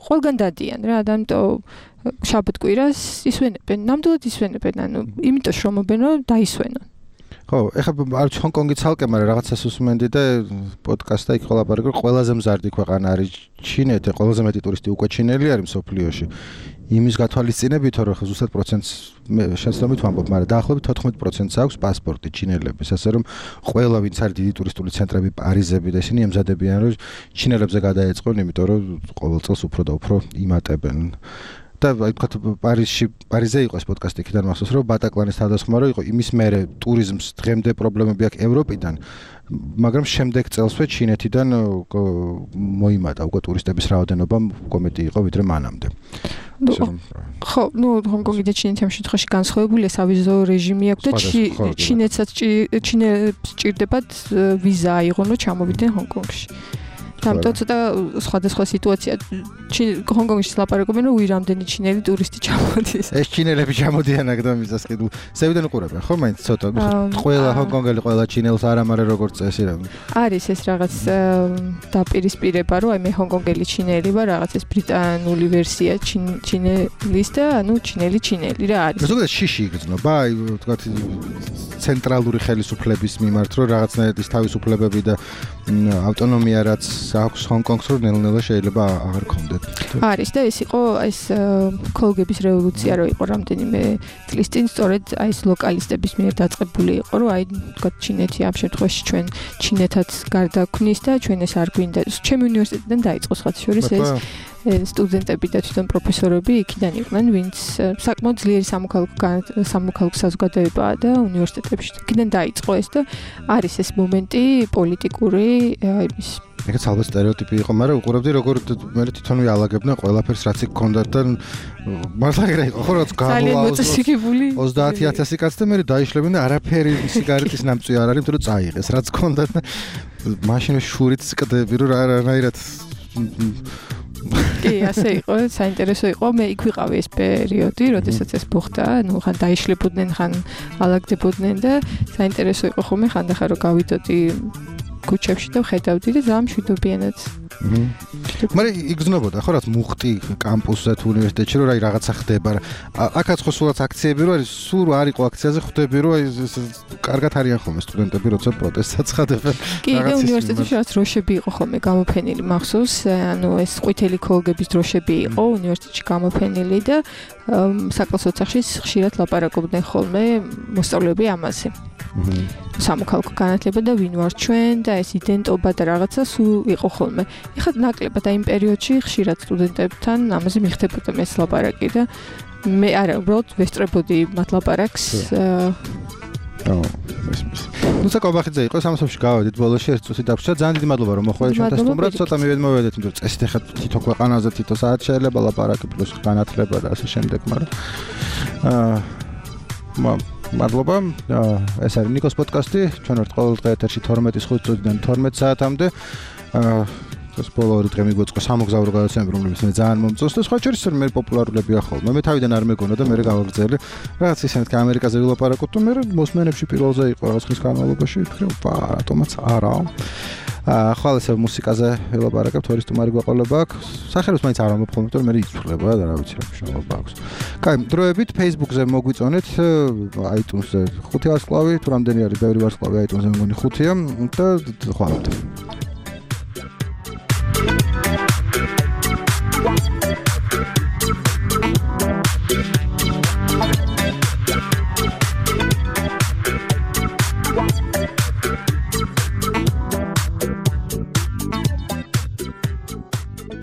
ყველგან დადიან რა, ამიტომ შაბათ-კვირას ისვენებენ, ნამდვილად ისვენებენ, ანუ იმიტომ შრომობენ რომ დაისვენონ.
ხო, ეხლა არ ჰონკონგი ცალკე, მაგრამ რაღაცას უსმენდი და პოდკასტა იქ ყოლაპარაკე, ყველაზე მზარდი ქვეყანა არის ჩინეთი, ყველაზე მეტი ტურისტი უკვე ჩინელი არის მსოფლიოში. იმის გათვალისწინებით, რომ ზუსტად პროცენტს შეცდომით ვამბობ, მაგრამ დაახლოებით 14%-ს აქვს პასპორტი ჩინელების, ასე რომ ყველა ვინც არის დიდი ტურისტული ცენტრები, პარიზები და ისინი ემზადებიან, რომ ჩინელებზე გადაეწყონ, იმიტომ რომ ყოველ წელს უფრო და უფრო იმატებენ. და აი თქვა პარიზე იყო ეს პოდკასტი იქიდან მახსოვს რომ ბატაკლანის თავდასხმა იყო იმის მერე ტურიზმს დღემდე პრობლემები აქვს ევროპიდან მაგრამ შემდეგ წელსვე ჩინეთიდან მოიმატა უკვე ტურისტების რაოდენობა უკვე მეტი იყო ვიდრე მანამდე.
ხო, ჰონკონგი და ჩინეთი ამ შემთხვევაში განსხვავებულია, სავიზო რეჟიმი აქვს და ჩინეთსაც სჭირდებათ ვიზა აიღონ რომ ჩამოვიდნენ ჰონკონგში. ამიტომ ცოტა სხვადასხვა სიტუაცია. ჰონკონგში ლაპარაკობენ, რომ რამდენი ჩინელი ტურისტი ჩამოდის.
ეს ჩინელები ჩამოდიან აქ და მიზას კიდევ. სევიდან უყურებენ, ხო, მაინც ცოტა. ყველა ჰონკონგელი, ყველა ჩინელს არ ამარე როგორც წესი რა.
არის ეს რაღაც დაპირისპირება, რომ აი მე ჰონკონგელი ჩინელი ვარ, რაღაც ეს ბრიტანული ვერსია ჩინელის და ანუ ჩინელი რა არის.
ზოგადად შიში იგრძნობა, აი თქვა ცენტრალური ხელისუფლების მიმართ, რომ რაღაცნაირად ის თავისუფლებები და ავტონომია რაც აქვს ჰონკონგს რომ ნელ-ნელა შეიძლება აღარ გქონდეთ.
არის და ეს იყო ეს ქოლგების რევოლუცია რო იყო რამდენიმე წლის წინ სწორედ აი ეს ლოკალისტების მიერ დაწყებული იყო რომ აი თქვა ჩინეთი ამ შემთხვევაში ჩვენ ჩინეთაც გარდაქმნის და ჩვენ ეს არ გვინდა. ჩემი უნივერსიტეტიდან დაიწყო სხვათა შორის ეს სტუდენტები და თვითონ პროფესორები იქიდან იყვნენ, ვინც საკმაოდ ძლიერი სამოქალაქო საზოგადოებაა და უნივერსიტეტებში იქიდან დაიწყო ეს და არის ეს მომენტი პოლიტიკური იმის
ეგეც ალბათ სტერეოტიპი იყო, მაგრამ უყურებდი როგორ მე თვითონ ვიალაგებდნენ ყველაფერს რაც იქ ქონდათ და მართლა ეგრე იყო, ხო რაც
გამოაქვს
30000 კაცი და მე დაიშლებენ და არაფერი სიგარეტის ნამწვი არ არის, იმიტომ რომ წაიღეს რაც ქონდათ და მაშინ შურით წკდები რომ რანაირად
კი, ასე იყო, საინტერესო იყო. მე იქ ვიყავი ეს პერიოდი, როდესაც ეს მოხდა, ну, ხან დაიშლებოდნენ, ხან ალაგდებოდნენ და საინტერესო იყო ხოლმე ხანდახან რომ გავიდოდი ქუჩებში და ვხედავდი და ძალიან მშვიდობიანად.
მაგრამ იგრძნობოდა ხო რაც მუხტი კამპუსზე თუ უნივერსიტეტში რომ აი რაღაცა ხდება რა. აქაც ხო სულაც აქციები რო არის, სულ არ იყო აქციაზე ხვდები რომ აი კარგად არიან ხოლმე სტუდენტები როცა პროტესტსაც ხდებენ.
კი, და უნივერსიტეტში რაც დროშები იყო ხოლმე გამოფენილი მახსოვს, ანუ ეს ყვითელი ქოლგების დროშები იყო უნივერსიტეტში გამოფენილი და საკლასო ოთახში ხშირად ლაპარაკობდნენ ხოლმე მოსწავლეები ამაზე. სამოქალაქო განათლება და ვინ ვარ ჩვენ და ეს იდენტობა და რაღაცა სულ იყო ხოლმე. ეხლა ნაკლებად აი იმ პერიოდში ხშირად სტუდენტებთან ამაზე მიხდებოდა ეს ლაპარაკი და მე არა, უბრალოდ ვესწრებოდი მათ ლაპარაკს.
ნუ საკობახიძე იყო სამსოფში გავედით ბოლოში ერთ წუთი დაგვჭირდა. ძალიან დიდი მადლობა რომ მოხვედით ჩვენთან სტუმრად. ცოტა მივედმოვედეთ, იმიტომ რომ წესით ეხლა თითო ქვეყანაზე თითო საათ შეიძლება ლაპარაკი პლუს განათლება და ასე შემდეგ, მაგრამ მადლობა. ეს არის ნიკოს პოდკასტი. ჩვენ ვართ ყოველ დღე ეთერში 12:05-დან 12 საათამდე. ეს ბოლო ორი დღე მიგვეწყო სამოგზაურო გადაცემები, რომლებიც მე ძალიან მომწონს და სხვა შორის მე პოპულარულებია ხოლმე. მე თავიდან არ მეგონა და მე გავაგრძელე. რაღაც ისეთ ამერიკაზე ვილაპარაკოთ, თუ მე მოსმენებში პირველზე იყო რაღაც ხნის განმავლობაში, ვფიქრე, რატომაც არა. ხვალ ესე მუსიკაზე ველაპარაკებთ, ორი სტუმარი გვაყოლება აქვს. სახელებს მაინც არ ამბობ ხოლმე, მაგრამ მე იცვლება და რა ვიცი რა მნიშვნელობა აქვს. კაი, დროებით Facebook-ზე მოგვიწონეთ, iTunes-ზე 5 ვარსკვლავი, თუ რამდენი არის ბევრი ვარსკვლავი iTunes-ზე მეგონი 5-ია და ხვალ